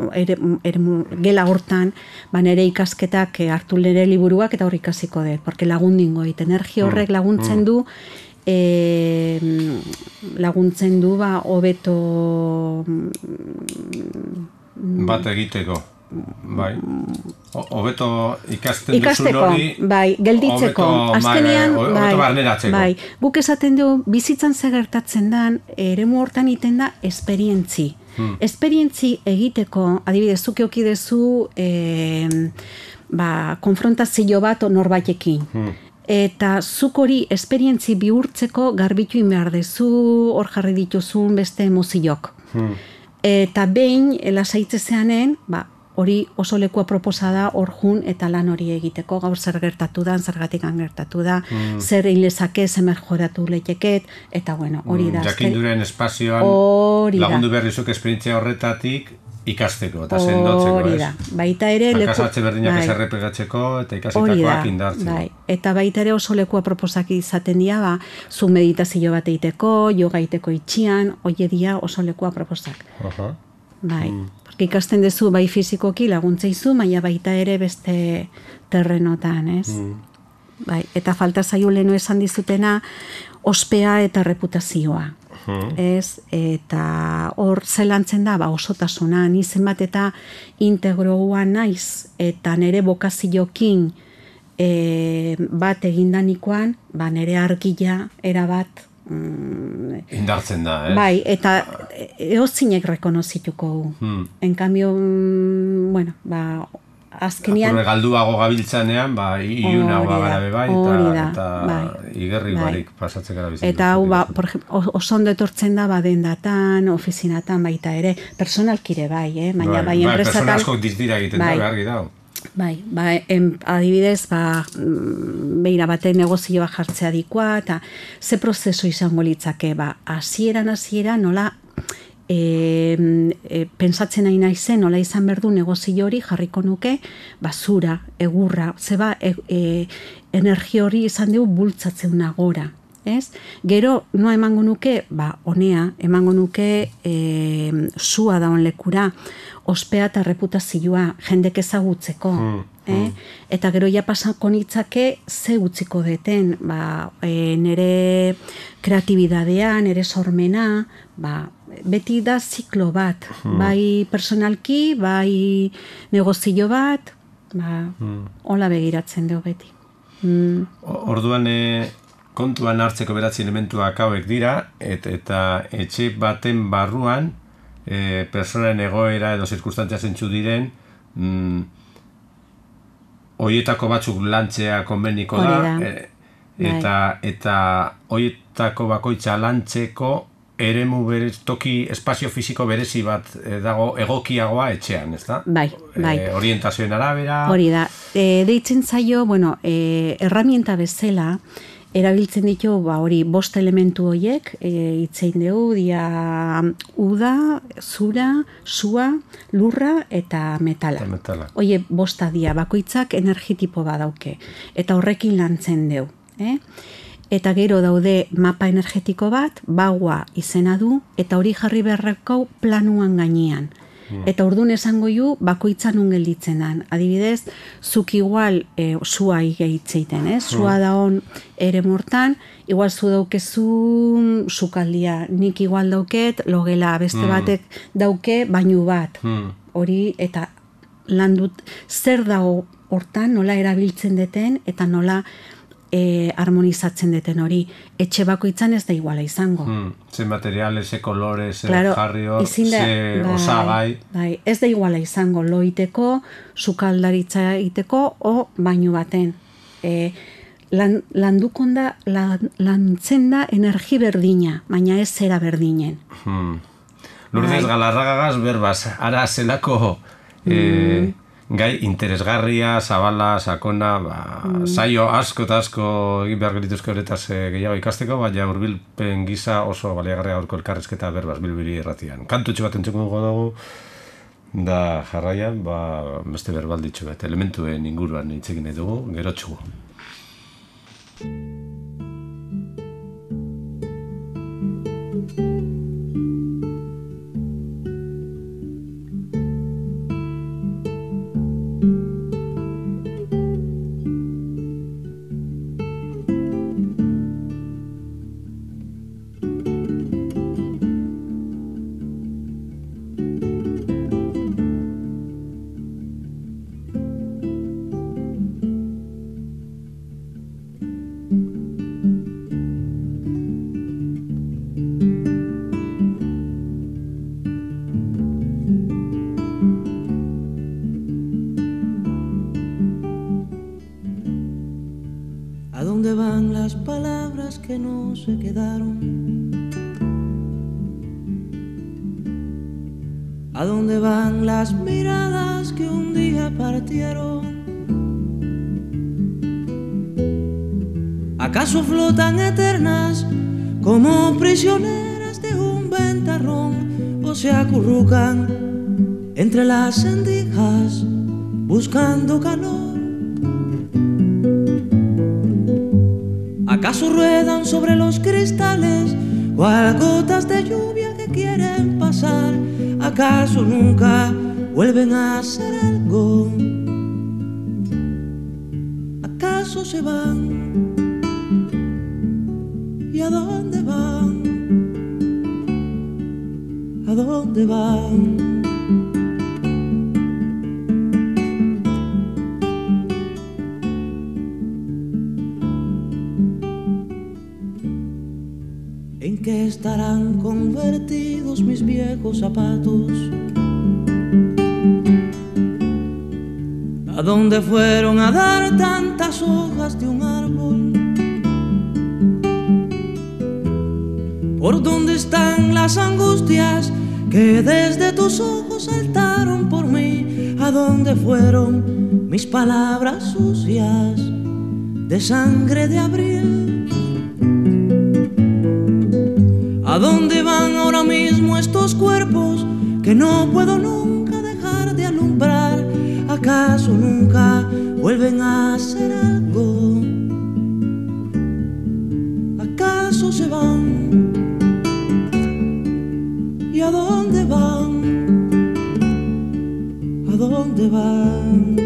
gela hortan nire ikasketak hartu nire liburuak eta hor ikasiko dut, porque lagundingo energia horrek laguntzen du hobeto bat egiteko, bai, hobeto ikasten duzun hori, bai, gelditzeko, azkenean, bai, guk esaten du, bizitzan gertatzen dan, eremu hortan iten da, esperientzi. Esperientzi egiteko, adibidez, zuk eukidezu, konfrontazio bat norbaitekin. Eta zuk hori esperientzi bihurtzeko garbitu behar dezu, hor jarri dituzun beste emoziok. Eta behin, lasaitzezeanen, hori oso lekua proposa da hor jun eta lan hori egiteko, gaur zer gertatu da, zergatik gertatu da, zer egin lezake, zer mejoratu leiteket, eta bueno, hori da. Jakinduren espazioan lagundu behar dizuk esperientzia horretatik ikasteko eta sendotzeko, hori da. Baita ere Kasatze berdinak ez errepegatzeko eta ikasitakoak indartzeko. Bai. Eta baita ere oso lekua proposak izaten dira, zu meditazio bat egiteko, yoga egiteko itxian, hoie dira oso lekua proposak. Bai, porque ikasten duzu bai fizikoki laguntzeizu, baina baita ere beste terrenotan, ez? Bai, eta falta zaio leno esan dizutena ospea eta reputazioa. Ez, eta hor zelantzen da, osotasuna, ni zenbat eta integroa naiz, eta nire bokaziokin bat egindanikoan, nire argila erabat indartzen da, ez? Bai, eta eozinek rekonozituko. En cambio, bueno, azkenian... Apurre galduago gabiltzanean, iunago gara bai, eta igerri barik pasatzen gara bizitzen. Eta hau, oso ondo etortzen da, dendatan, ofizinatan baita ere, personalkire bai, baina bai enpresatal... Persona asko dizdira egiten da, behargi da. Bai, adibidez, beira baten negozioa jartzea dikoa, eta ze prozesu izango litzake, hasieran nola pentsatzen nahi naizen, nola izan berdu negozio hori jarriko nuke, zura, egurra, zeba energia hori izan dugu bultzatzen nagora. Gero, no emango nuke, honea, emango nuke zua daun lekura, ospea eta reputazioa, jendek ezagutzeko. Eta gero ja pasako nitzake ze utziko deten, nire kreatibidadea, nire sormena, beti da ziklo bat, bai personalki, bai negozio bat, hola begiratzen dugu beti. Orduan, kontuan hartzeko beratzi elementuak hauek dira, eta etxe baten barruan, personaren egoera edo zirkustantzia zentzu diren, hoietako batzuk lantzea konbeniko da, eta hoietako bakoitza lantzeko eremu toki espazio fisiko berezi bat dago egokiagoa etxean, ez da? Bai. Orientazioen arabera... Hori da. Deitzen zaio, herramienta bezala, erabiltzen ditu, hori, 5 elementu horiek, itzein dugu, dia uda, zura, sua, lurra eta metala. Oie, 5 dia, bakoitzak energitipo badauke, eta horrekin lantzen dugu. Eta gero daude mapa energetiko bat, bagua izena du, eta hori jarri beharreko planuan gainean. Eta orduan esango ju, bakoitzan gelditzen dan. Adibidez, zuk igual zua igehitzeiten, zua da hon ere mortan, igual zu daukezu sukaldia, nik igual dauket, logela, beste batek dauke, bainu bat. Hori, eta landut, zer dago hortan, nola erabiltzen deten, eta nola harmonizatzen deten hori. Etxe bakoitzan ez da iguala izango. Ze materiale, ze kolore, ze jarrio, ze osagai. Ez da iguala izango, loiteko, sukaldaritza egiteko, o bainu baten. Landukon da, lantzen da energi berdina, baina ez zera berdinen. Lourdes Galarragagaz berbaz, ara zelako gai interesgarria, zabala, sakona, saio asko eta asko egin behar gelituzko horretaz gehiago ikasteko, baina hurbilpen gisa oso baliagarria gaurko elkarrezketa berbaz Bilbili irratian. Kantutxo bat entzuko dugu da jarraian, beste berbalditxo bat, elementuen inguruan hitzekin dugu, gerotxugu. ¿A dónde van las miradas que un día partieron? ¿Acaso flotan eternas como prisioneras de un ventarrón o se acurrucan entre las rendijas buscando calor? ¿Acaso ruedan sobre los cristales cual gotas de lluvia que quieren pasar? ¿Acaso nunca vuelven a hacer algo? ¿Acaso se van? ¿Y a dónde van? ¿A dónde van? ¿En qué estarán convertidos mis viejos zapatos? ¿A dónde fueron a dar tantas hojas de un árbol? ¿Por dónde están las angustias que desde tus ojos saltaron por mí? ¿A dónde fueron mis palabras sucias de sangre de abril? ¿A dónde van ahora mismo estos cuerpos que no puedo nunca dejar de alumbrar? ¿Acaso nunca vuelven a hacer algo? ¿Acaso se van? ¿Y a dónde van? ¿A dónde van?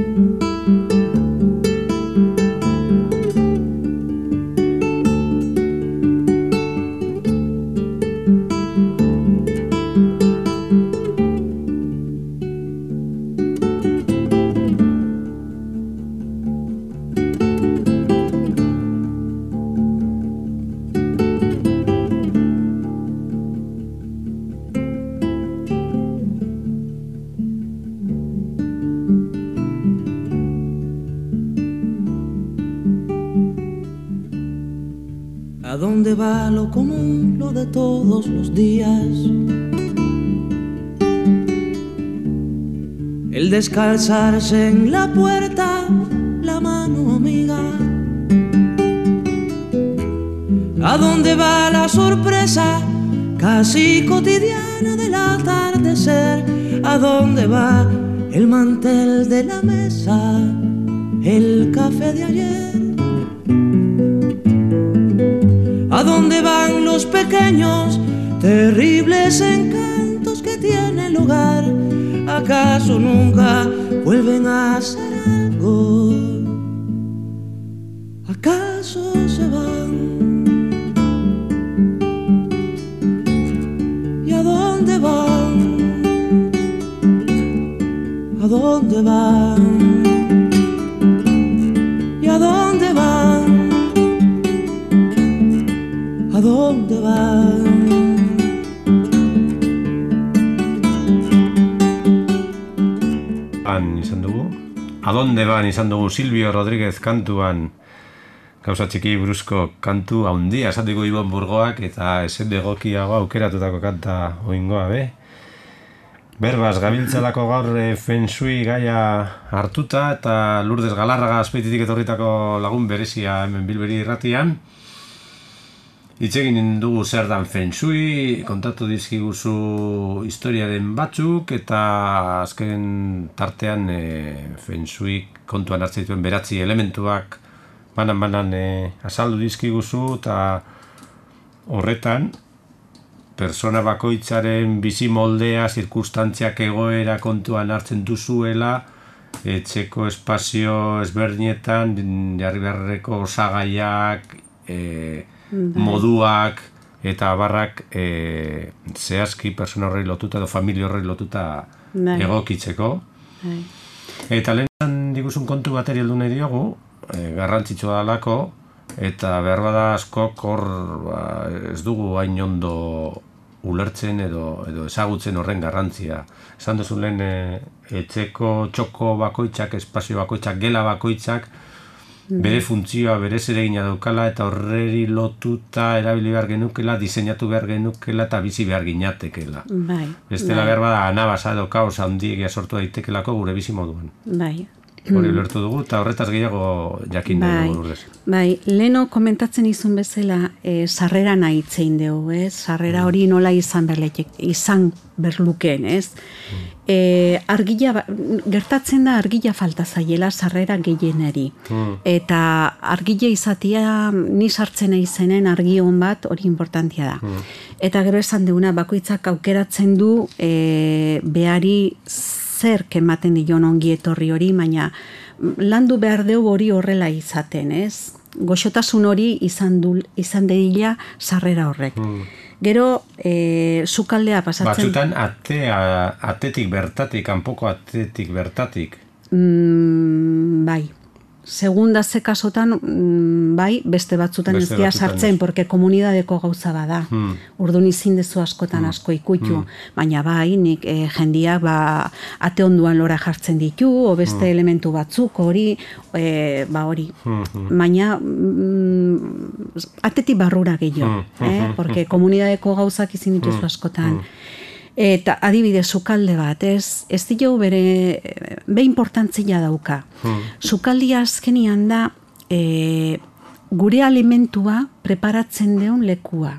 ¿A dónde va lo común, lo de todos los días? El descalzarse en la puerta, la mano amiga. ¿A dónde va la sorpresa casi cotidiana del atardecer? ¿A dónde va el mantel de la mesa, el café de ayer? ¿A dónde van los pequeños, terribles encantos que tiene el hogar? ¿Acaso nunca vuelven a hacer algo? ¿Acaso se van? ¿Y a dónde van? ¿A dónde van? ¿Y a dónde van? ¿A dónde van? ¿A dónde van izan dugu Silvio Rodríguez kantuan gauza txiki buruzko kantu handia esateko Ibon Burgoak eta esen egokiago aukeratutako kanta oingoa be. Berbaz, gabiltzalako gaur Feng Shui gaia hartuta eta Lourdes Galarraga Azpeititik etorritako lagun berezia hemen Bilberi irratian. Hitz egin dugu zer dan Feng Shui, kontatu dizkiguzu historiaren batzuk eta azken tartean Feng Shui kontuan hartzen dituen beratzi elementuak banan azaldu dizkiguzu eta horretan persona bakoitzaren bizi moldea, zirkunstantziak egoera kontuan hartzen duzuela, etxeko espazio ezberdinetan jarri beharreko osagaiak, moduak eta barrak zehazki persona horrei lotuta edo familia horrei lotuta egokitzeko. Eta lehen diguzun kontu bateri heldu nahi diogu, garrantzitsua dalako, eta behar bada askok hor ez dugu hain ondo ulertzen edo ezagutzen horren garrantzia. Esan duzu lehen etxeko txoko bakoitzak, espazio bakoitzak, gela bakoitzak bere funtzioa, bere zeregina daukala, eta horreri lotuta erabili behar genukela, diseinatu behar genukela, eta bizi behar ginatekela. Bestela behar bada, anabasa edo kaos handiegia sortu daitekelako gure bizi moduan. Hori ulertu dugu, eta horretaz gehiago jakin dugu Lourdes. Leno komentatzen izun bezala, sarrera nahi itzein dugu, sarrera hori nola izan berluken, argila, gertatzen da argila falta zaiela sarrera gehieneri. Eta argila izatea, ni sartzen izenen argion bat, hori importantia da. Eta gero esan duguna, bakoitzak aukeratzen du behari zer ematen dion ongi etorri hori, baina landu behar dugu hori horrela izaten, goxotasun hori izan dedila sarrera horrek. Gero, sukaldea pasatzen... Batzutan atetik bertatik, kanpoko atetik bertatik. Bai. Segunda ze kasotan, bai, beste batzutan ez dira sartzen, porque komunidadeko gauza bada. Orduan izin dezu askotan asko ikutu, baina bai, nik jendiak ate onduan lora jartzen ditu, o beste elementu batzuk, hori, hori. Baina atetik barrura gehiago, porque komunidadeko gauzak izin dituzu askotan. Eta adibidez, sukalde bat, ez diogu be importantzia dauka. Sukaldia azkenian da gure alimentua preparatzen deun lekua.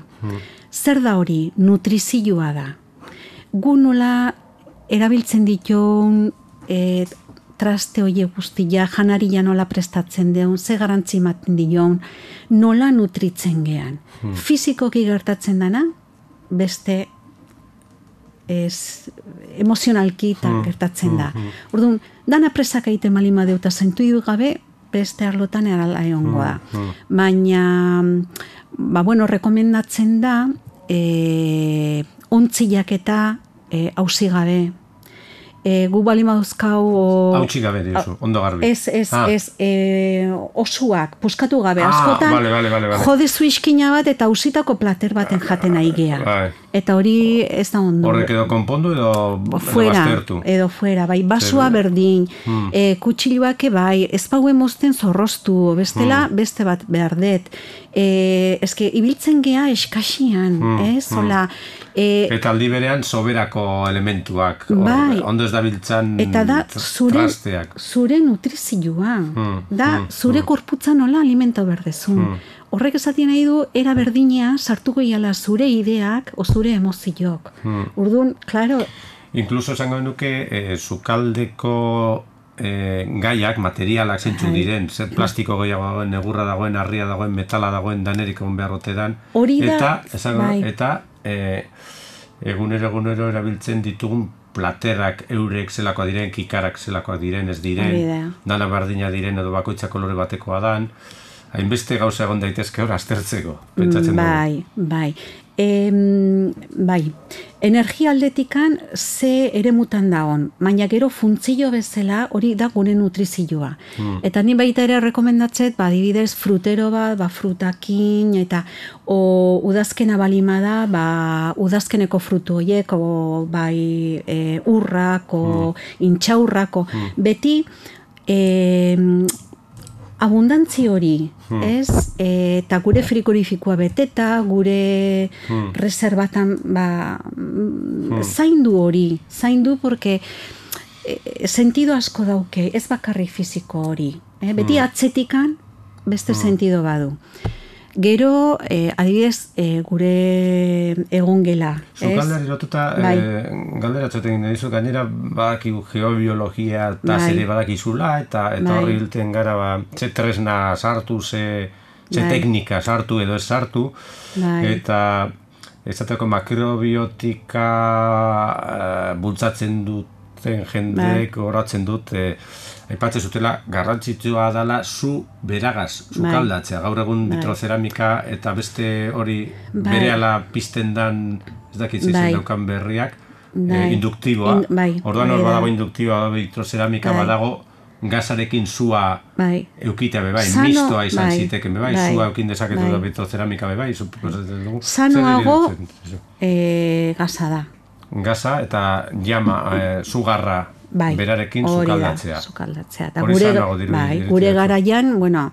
Zer da hori? Nutrizioa da. Gu nola erabiltzen ditun traste hoie guztia, janaria nola prestatzen deun, ze garantzi ematen dion, nola nutritzen gean. Fizikoki gertatzen dana, beste emozionalki gertatzen da. Orduan, dana presak egiten malima deuta zentu gabe, beste arlotan erala egongo da. Baina, rekomendatzen da, ontziak eta hausi gabe. Gu balima dauzkau... Hautsi gabe diozu, ondo garbi. Ez, osuak, puskatu gabe. Askotan, jodezu iskina bat eta hausitako plater baten jaten nahi gea. Eta hori ez da ondo. Horrek edo konpondu edo baztertu. Edo fuera, bai, basua berdin, kutsiluak bai, ez pauen mozten zorroztu, bestela, beste bat behar det. Eske, ibiltzen gea eskasian, zola... Eta aldi berean soberako elementuak, ondo ez dabiltzan trasteak. Eta da, zure nutrizioa, da, zure korputza nola alimenta berdezun. Horrek esatien nahi du, era berdinea sartuko iala zure ideak o zure emozioak. Urduan, klaro... Inkluso esango nuke, sukaldeko gaiak, materialak zeintzu diren, zer plastiko gehiago dagoen, negurra dagoen, harria dagoen, metala dagoen, danerik egon beharrote dan. Eta egunero erabiltzen ditugun platerak eurek zelakoa diren, kikarak zelakoa diren, ez diren, dana bardina diren edo bakoitzak kolore batekoa dan, hainbeste gauza egon daitezke hor aztertzeko, pentsatzen dugu. Bai, energia aldetikan ze eremutan dagoen, baina gero funtzio bezala hori da gure nutrizioa. Eta ni baita ere rekomendatzet, adibidez, frutero bat, frutakin, eta udazkena balima da, udazkeneko frutu horiek, bai urrak, intxaurrak, beti abundantzi hori, eta gure frikorifikoa beteta, gure reservatan zaindu hori, porque sentido asko dauke, ez bakarri fiziko hori. Beti atzetikan beste sentido badu. Gero, adibidez, gure egongela. Zukaldeari lotuta, galderatzoten dizu, gainera badakigu geobiologia eta zere badakizula, eta horri hilten gara, ze tresna sartu, ze teknika sartu edo ez sartu, eta ezateko makrobiotika bultzatzen duten jendeek horatzen dut, aipatzen zutela, garrantzitsua dela zu beragaz, sukaldatzea. Gaur egun vitroceramika eta beste hori berehala pizten dan, ez dakitzen daukan berriak, induktiboa. Orduan hor badago induktiboa, vitroceramika badago, gazarekin zua eukita bebai, mistoa izan ziteken bebai, zua eukin dezaketu da vitroceramika bebai. Sanoago gaza da. Gaza eta llama, zugarra berarekin sukaldatzea. Sukaldatzea. Hori zanago diru. Gure garaian, bueno,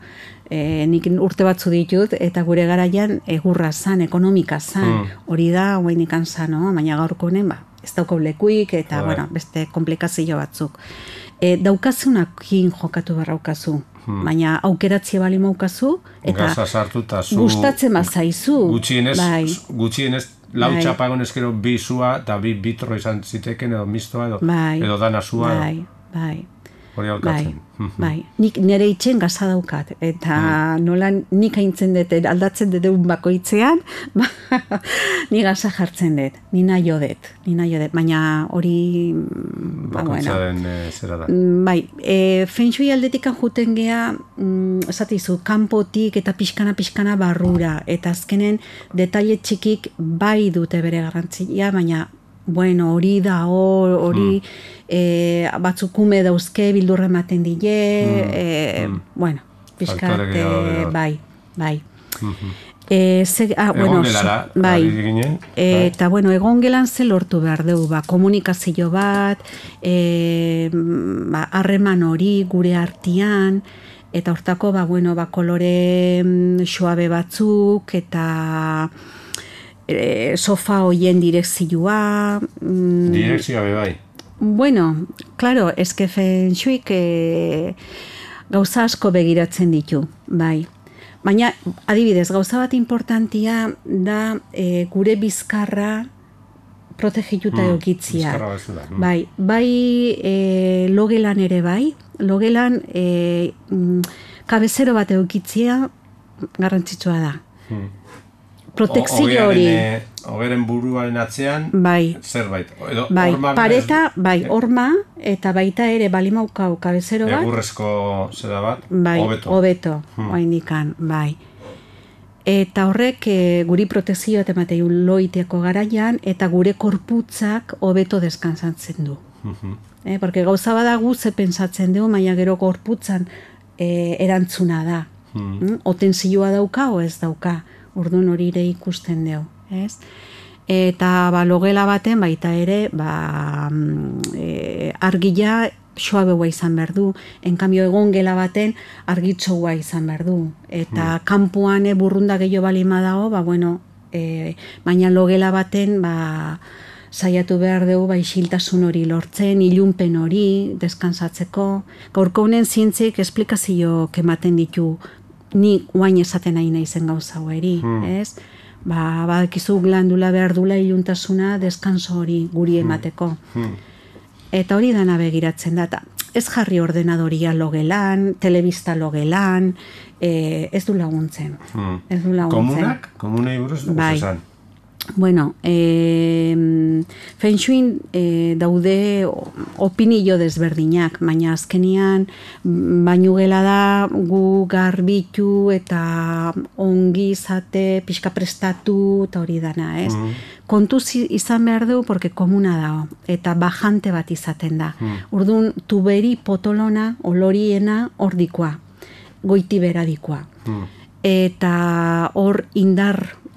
nik urte batzu ditut, eta gure garaian egurra zan, ekonomika zan, hori da, guain ikan zan, no? Baina gaurko honen, ez dauko lekuik, eta, bueno, beste komplikazio batzuk. Daukazunakin jokatu barraukazu, baina aukeratzea bali maukazu, eta gustatzen bazaizu. Gutxienez, lau txapa egon ezkero bi zua, eta bi bitro izan ziteken, edo mistoa, edo dana zua. Hori alkatzen. Bai, nik nire itxen gaza daukat, eta nola nik aintzen dut, aldatzen dut egun bakoitzean, ni gaza jartzen dut, ni nahi dut, baina hori... Bakoitzaren zera da. Bai, feng shui aldetikan juten gea, esatizu, kanpotik eta pixkana barrura, eta azkenen detaile txikik bai dute bere garrantzia, baina bueno, hori da, hori batzukume dauzke bildurra ematen dile, bueno, pixkat, bai. Egongelara, eta bueno, egongelan ze lortu behar dugu, komunikazio bat, harreman hori gure artean, eta hortako, kolore suabe batzuk, eta sofa hoien direkzioa... Direkzioa bai. Bueno, claro, eske feng shuik gauza asko begiratzen ditu, bai. Baina, adibidez, gauza bat importantia da gure bizkarra protegituta egokitzia. Bai, logelan ere bai, logelan kabezero bat egokitzia garrantzitsua da. Protekzio hori. Hogeren buruaren atzean, zerbait. Pareta, horma, eta baita ere balimaukau kabezero bat. Egurrezko zera bat, hobeto, oaindikan, bai. Eta horrek guri protekzio eta ematei loiteako garaian, eta gure korputzak hobeto deskansatzen du. Porque gauza badagu ze pentsatzen dugu, maia gero korputzan erantzuna da. Otenzioa dauka o ez dauka. Orduan hori ere ikusten dugu, ez? Eta logela baten baita ere argia soabeua izan behar du, enkambio egon gela baten argitxoua izan behar du. Eta kanpoan burrunda gehiago balima dago, baina logela baten saiatu behar dugu isiltasun hori lortzen, ilunpen hori, deskansatzeko. Gaurko honen zientzik esplikazio ematen ditu, ni guain esaten nahi naizen gauza hori, ez? Badakizu glandula behar dula iluntasuna deskanso hori guri emateko. Eta hori dana begiratzen da. Ez jarri ordenadoria logelan, telebista logelan, ez du laguntzen. Komunak? Komunei buruz dugu esan? Bueno, feng shuin daude opinio desberdinak, baina azkenian bainu gela da gu garbitu eta ongi izate, pixka prestatu eta hori dana, ez? Kontuz izan behar dugu, porque komuna dago, eta bajante bat izaten da. Orduan, tuberi potolona, oloriena hor dikoa, goiti bera dikoa. Eta hor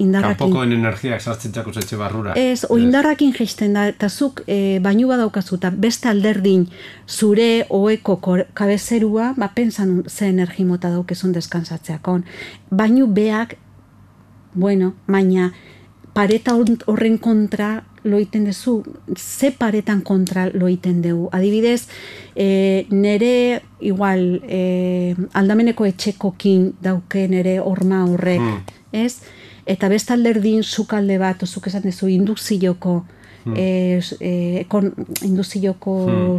kanpokoen energiak sartzen txako zetxe barrura. Ez, indarrakin geisten da, eta zuk bainu badaukazu, eta beste alderdin zure oeko kabezerua, pensan ze energi mota daukezun descansatzeakon. Bainu beak, baina pareta horren kontra loiten dezu, ze paretan kontra loiten dugu. Adibidez, nere igual aldameneko etxekokin dauke nere horma horrek, ez? Eta beste alderdin sukalde bat, zuk esan dezu, induzioko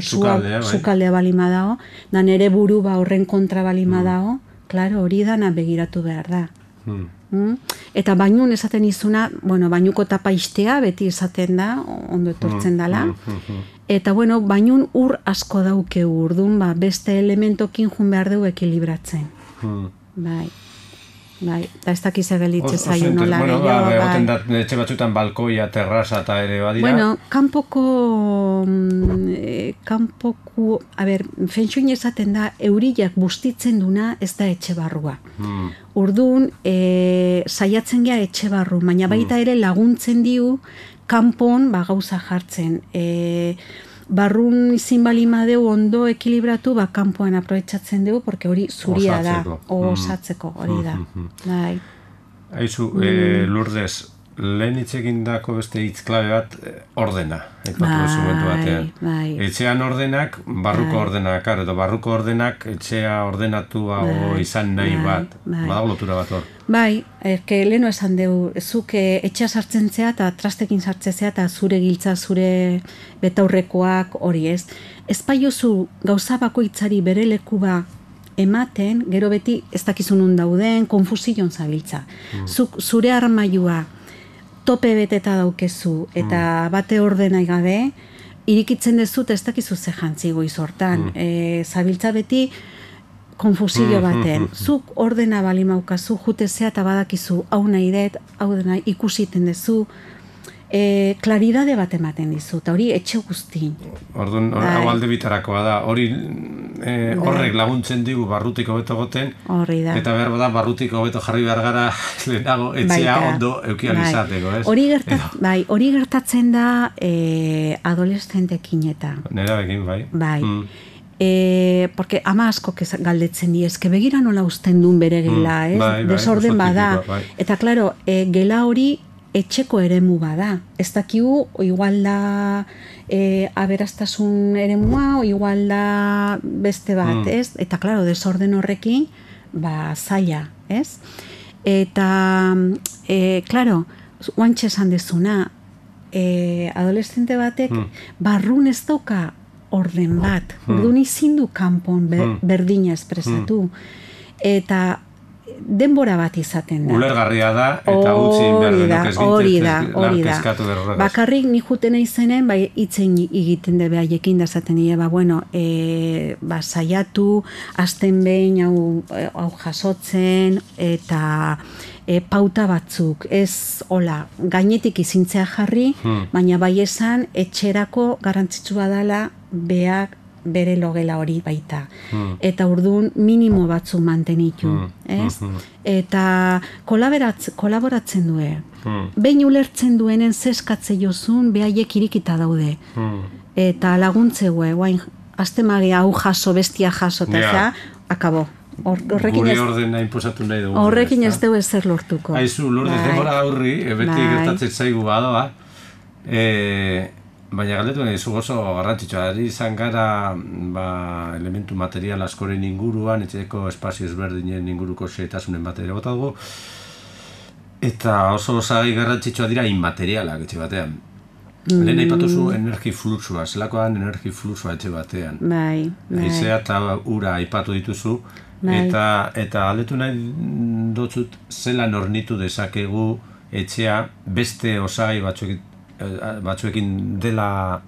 sukaldea balima dago, da nere buru horren kontra balima dago, klaro, hori dana begiratu behar da. Eta bainun esaten izuna, bainuko tapa istea, beti esaten da, ondo etortzen dala. Eta bainun ur asko dauke urdun, beste elementokin jun behar dugu ekilibratzen. Eta ez dakiz egelitzen zaio nola gehiago. Egoten da, etxe batzutan balkoia, terraza eta ere badira. Kanpoko, feng shuin esaten da, euriak bustitzen duna ez da etxe barrua. Orduan, saiatzen gea etxe barru, baina baita ere laguntzen diu kanpon gauza jartzen. barrun izin balimadeu ondo ekilibratu, kanpoan aprobetxatzen dugu, porque hori zuria da, osatzeko, hori da. Bai. Aizu, Lourdes, lehen hitzekin dako beste hitz klabe bat, ordena. Bai. Etxean ordenak, barruko ordenak, edo barruko ordenak, etxea ordenatua izan nahi bat. Badago lotura bat hor. Bai, leheno esan dugu, zuk etxea sartzen zea eta trastekin sartzen zea eta zure giltza, zure betaurrekoak hori ez. Ez baiozu gauza bakoitzari bere lekuba ematen, gero beti ez dakizunun dauden, konfusion zabiltza. Zuk zure armailua tope beteta daukezu eta bate ordenai gabe, irikitzen dezut ez dakizu ze jantzi goiz hortan. Zabiltza beti konfusio baten. Zuk ordena bali maukazu, jutezea eta badakizu hau nahi dut, hau dena ikusiten dezu, klaridade bat ematen dizu, eta hori etxe guztin. Orduan, hau alde bitarakoa da, hori horrek laguntzen digu barrutik hobeto goten, eta behar da barrutik hobeto jarri behar gara lehenago etxea ondo eukializateko, ez? Hori gertatzen da adolescentekin eta. Nerabekin, bai. Bai. Porque ama asko galdetzen di, eske begira nola usten duen bere gela, ez? Desorden bada. Eta, klaro, gela hori etxeko eremu bada. Ez dakigu, igual da aberastasun eremua, o igual da beste bat, ez? Eta, klaro, desorden horrekin, zaila, ez? Eta, klaro, oantxe esan dezuna, adolescente batek barrun ez dauka orden bat. Orduan izin du kanpon berdina espresatu. Eta denbora bat izaten da. Ulergarria da, eta utzi behar denok ez gintzen lankeskatu berrogaz. Bakarrik ni juten izenen, itzen egiten debe haiekin da zaten dira, saiatu, azten behin hau jasotzen, eta pauta batzuk, ez hola, gainetik izintzea jarri, baina bai esan, etxerako garrantzitsua dela beak bere logela hori baita. Eta orduan minimo batzu mantenitu, ez? Eta kolaboratzen due. Behin ulertzen duenen zeskatze jozun, behaiek irikita daude. Eta laguntze guain, azte magia hau jaso, bestia jaso, eta akabo. Gure ordena inposatu nahi dugu. Horrekin ez dugu ezer lortuko. Aizu, Lourdes, demora aurri, beti gertatzen zaigu badoa, baina galdetu nahi zu oso garrantzitsua, izan gara elementu material askoren inguruan, etxeko espazio ezberdinen inguruko xehetasunen bat ere bota dugu, eta oso osagai garrantzitsua dira inmaterialak etxe batean. Lehen aipatuzu energi fluxua, zelakoan energi fluxua etxe batean. Haizea eta ura aipatu dituzu, eta galdetu nahi dotzut zelan ornitu dezakegu etxea beste osagai batzuekin dela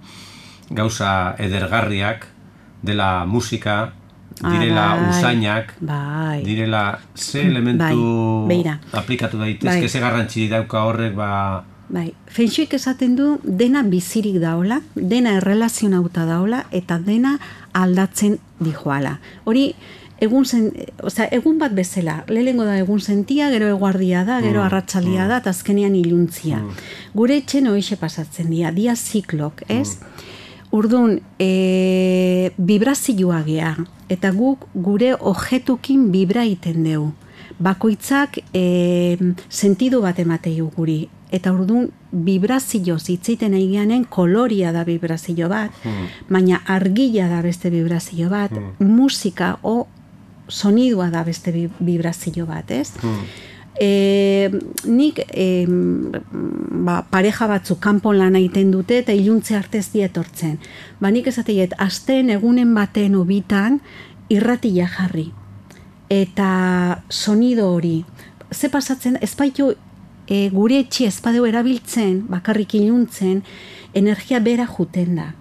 gauza edergarriak, dela musika, direla usainak, direla ze elementu aplikatu daitezke, ze garrantzi dauka horrek, Feng Shuik esaten du dena bizirik daola, dena errelazionauta daola, eta dena aldatzen dijoala. Hori, egun bat bezala, lehengo da egun sentia, gero eguardia da, gero arratsaldia da, eta azkenean iluntzia. Gure etxen hoixe pasatzen dia ziklok, ez? Orduan, vibrazioa gea, eta guk gure objetukin vibra iten dugu. Bakoitzak sentidu bat emateu guri. Eta orduan, vibrazioz hitzeiten egianen koloria da vibrazio bat, baina argila da beste vibrazio bat, musika o sonidua da beste vibrazio bat, ez? Nik pareja batzu kanpon lan egiten dute eta iluntze artez dietortzen. Nik esateiet, asten egunen baten obitan irratia jarri. Eta sonido hori. Ze pasatzen, ezpaitu gure etxe ezpadeu erabiltzen, bakarrik iluntzen, energia bera juten da.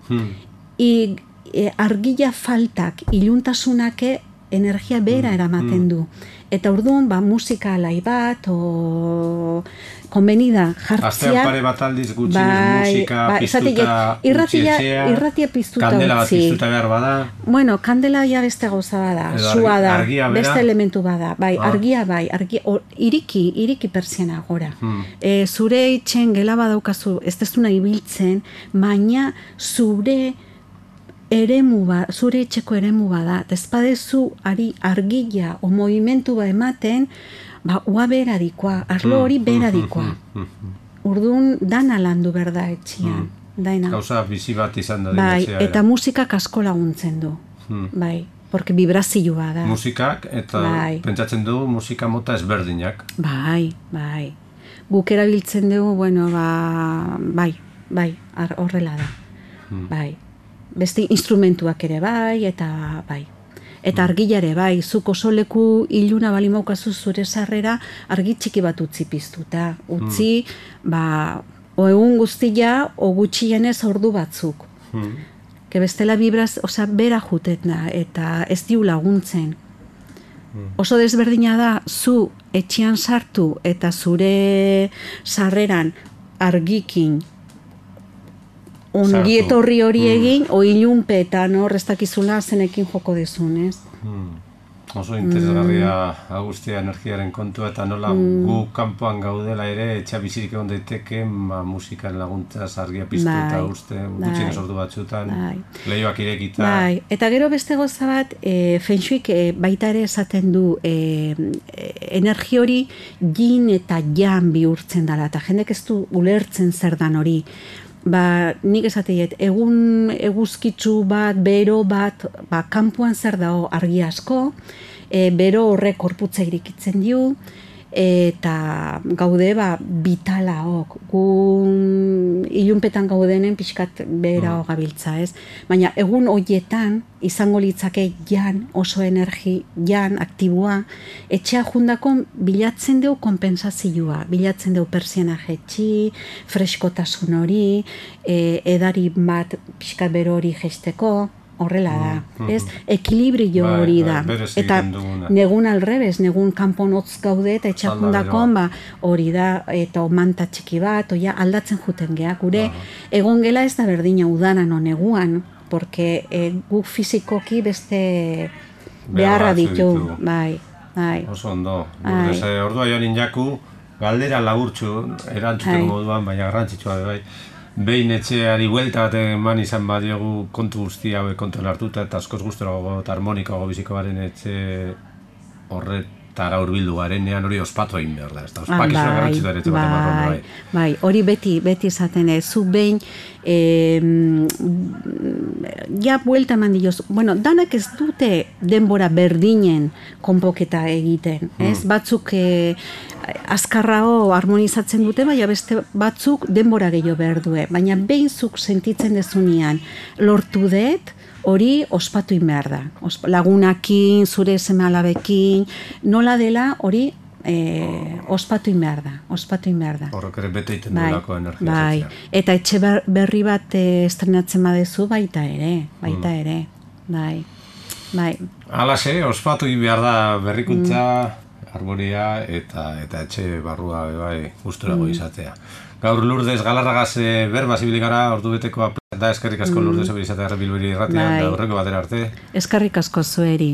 Argila faltak, iluntasunake energia bera eramaten du. Eta orduan, musika alai bat, konbenida jartzea. Astean pare bat aldiz gutxinez musika piztuta irratia piztuta utzi. Kandela bat piztuta behar bada. Bueno, kandela ja beste gauza bada, sua da, beste elementu bada. Argia iriki pertsiana gora. Zure itxen gela badaukazu, ez dezuna ibiltzen, baina zure zure etxeko eremu bada, ezpadezu ari argila o movimentu ba ematen, ua beradikoa, arlo hori beradikoa. Urdun dana landu berda etxian. Gauza bizi bat izan da. Bai, eta musikak asko laguntzen du. Bai, porque vibrazioa da. Musikak, eta pentsatzen du musika mota ezberdinak. Bai. Guk erabiltzen dugu, bueno, bai, horrela da. Bai. Beste instrumentuak ere bai, eta bai. Eta argilare bai, zuk oso leku iluna bali maukazu zure sarrera, argi txiki bat utzi piztuta. Utzi, o egun guztia, o gutxienez ordu batzuk. Que bestela vibraz, bera juten da, eta ez diu laguntzen. Oso desberdina da, zu etxean sartu eta zure sarreran argikin ongietorri hori egin, o ilunpetan horreztakizula zenekin joko dezun, ez? Oso interesgarria agustia energiaren kontua, eta nola gu kanpoan gaudela ere, etxea bizirik egon daiteke, musikan laguntzaz argia piztu eta uste, gutxien ordu batzutan, lehioak irekita. Bai, eta gero beste goza bat, Feng Shuik baita ere esaten du, energi hori yin eta yang bihurtzen dela, eta jendek ez du ulertzen zer dan hori. Nik esateiet, egun eguzkitzu bat, bero bat, kanpoan zer dago argi asko, bero horrek korputza irikitzen dio, eta gaude vitala hok, gu ilunpetan gaudenen pixkat behera gabiltza, ez? Baina egun hoietan izango litzake jan, oso energi jan, aktiboa, etxea jundako bilatzen dugu kompensazioa, bilatzen dugu persiana jetxi, freskotasun hori, edari bat pixkat bero hori jesteko, horrela da, ez? Ekilibrio hori da. Eta negun alrebez, negun kanpon hotz gaude eta etxakundakon hori da, eta manta txiki bat, aldatzen juten geha, gure egon gela ez da berdina udanan o neguan, porque guk fizikoki beste beharra ditu. Bai. Oso ondo. Ordua joan injaku, galdera laburtxu, erantzuteko moduan, baina garrantzitsua bai. Behin etxeari buelta bat eman izan badiogu kontu guzti hauek kontuan hartuta, eta askoz guztorago eta harmonikoago biziko garen etxe horretara hurbildu garenean hori ospatu egin behar da. Ospakizuna garrantzitu ere etxe bat emarron bai. Bai, hori beti esaten zu behin ja buelta eman dioz. Bueno, danak ez dute denbora berdinen konpoketa egiten, ez? Batzuk azkarrago harmonizatzen dute, baina beste batzuk denbora gehiago behar due. Baina behin zuk sentitzen dezunean lortu dut, hori ospatu behar da. Lagunakin, zure seme-alabekin, nola dela hori ospatu behar da. Horrek ere bete iten duelako energia. Bai, eta etxe berri bat estrenatzen badezu baita ere. Bai. Alase, ospatu behar da berrikuntza, harmonia eta etxe barrua gusturago izatea. Gaur Lourdes Galarragaz berba zibilik gara, ordu beteko da, eskerrik asko Lourdes izatea Bilbiri irratian, da horreko batera arte. Eskerrik asko zueri.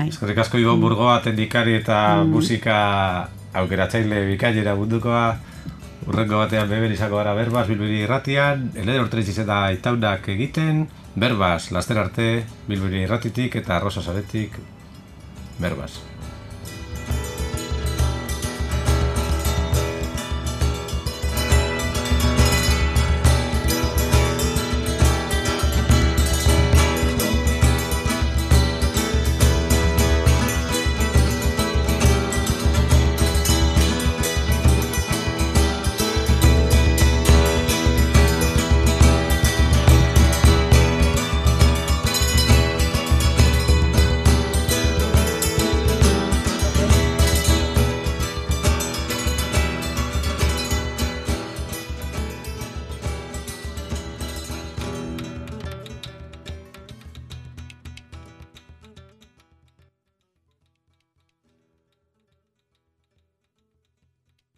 Eskerrik asko Ibon Burgoa, teknikari eta musika aukeratzaile bikailera mundukoa. Urrengo batean beben izako gara berbaz Bilbiri irratian, Elena Ortreiz izeta itaunak egiten, berbaz, laster arte Bilbiri irratitik eta Rosa Saretik berbaz.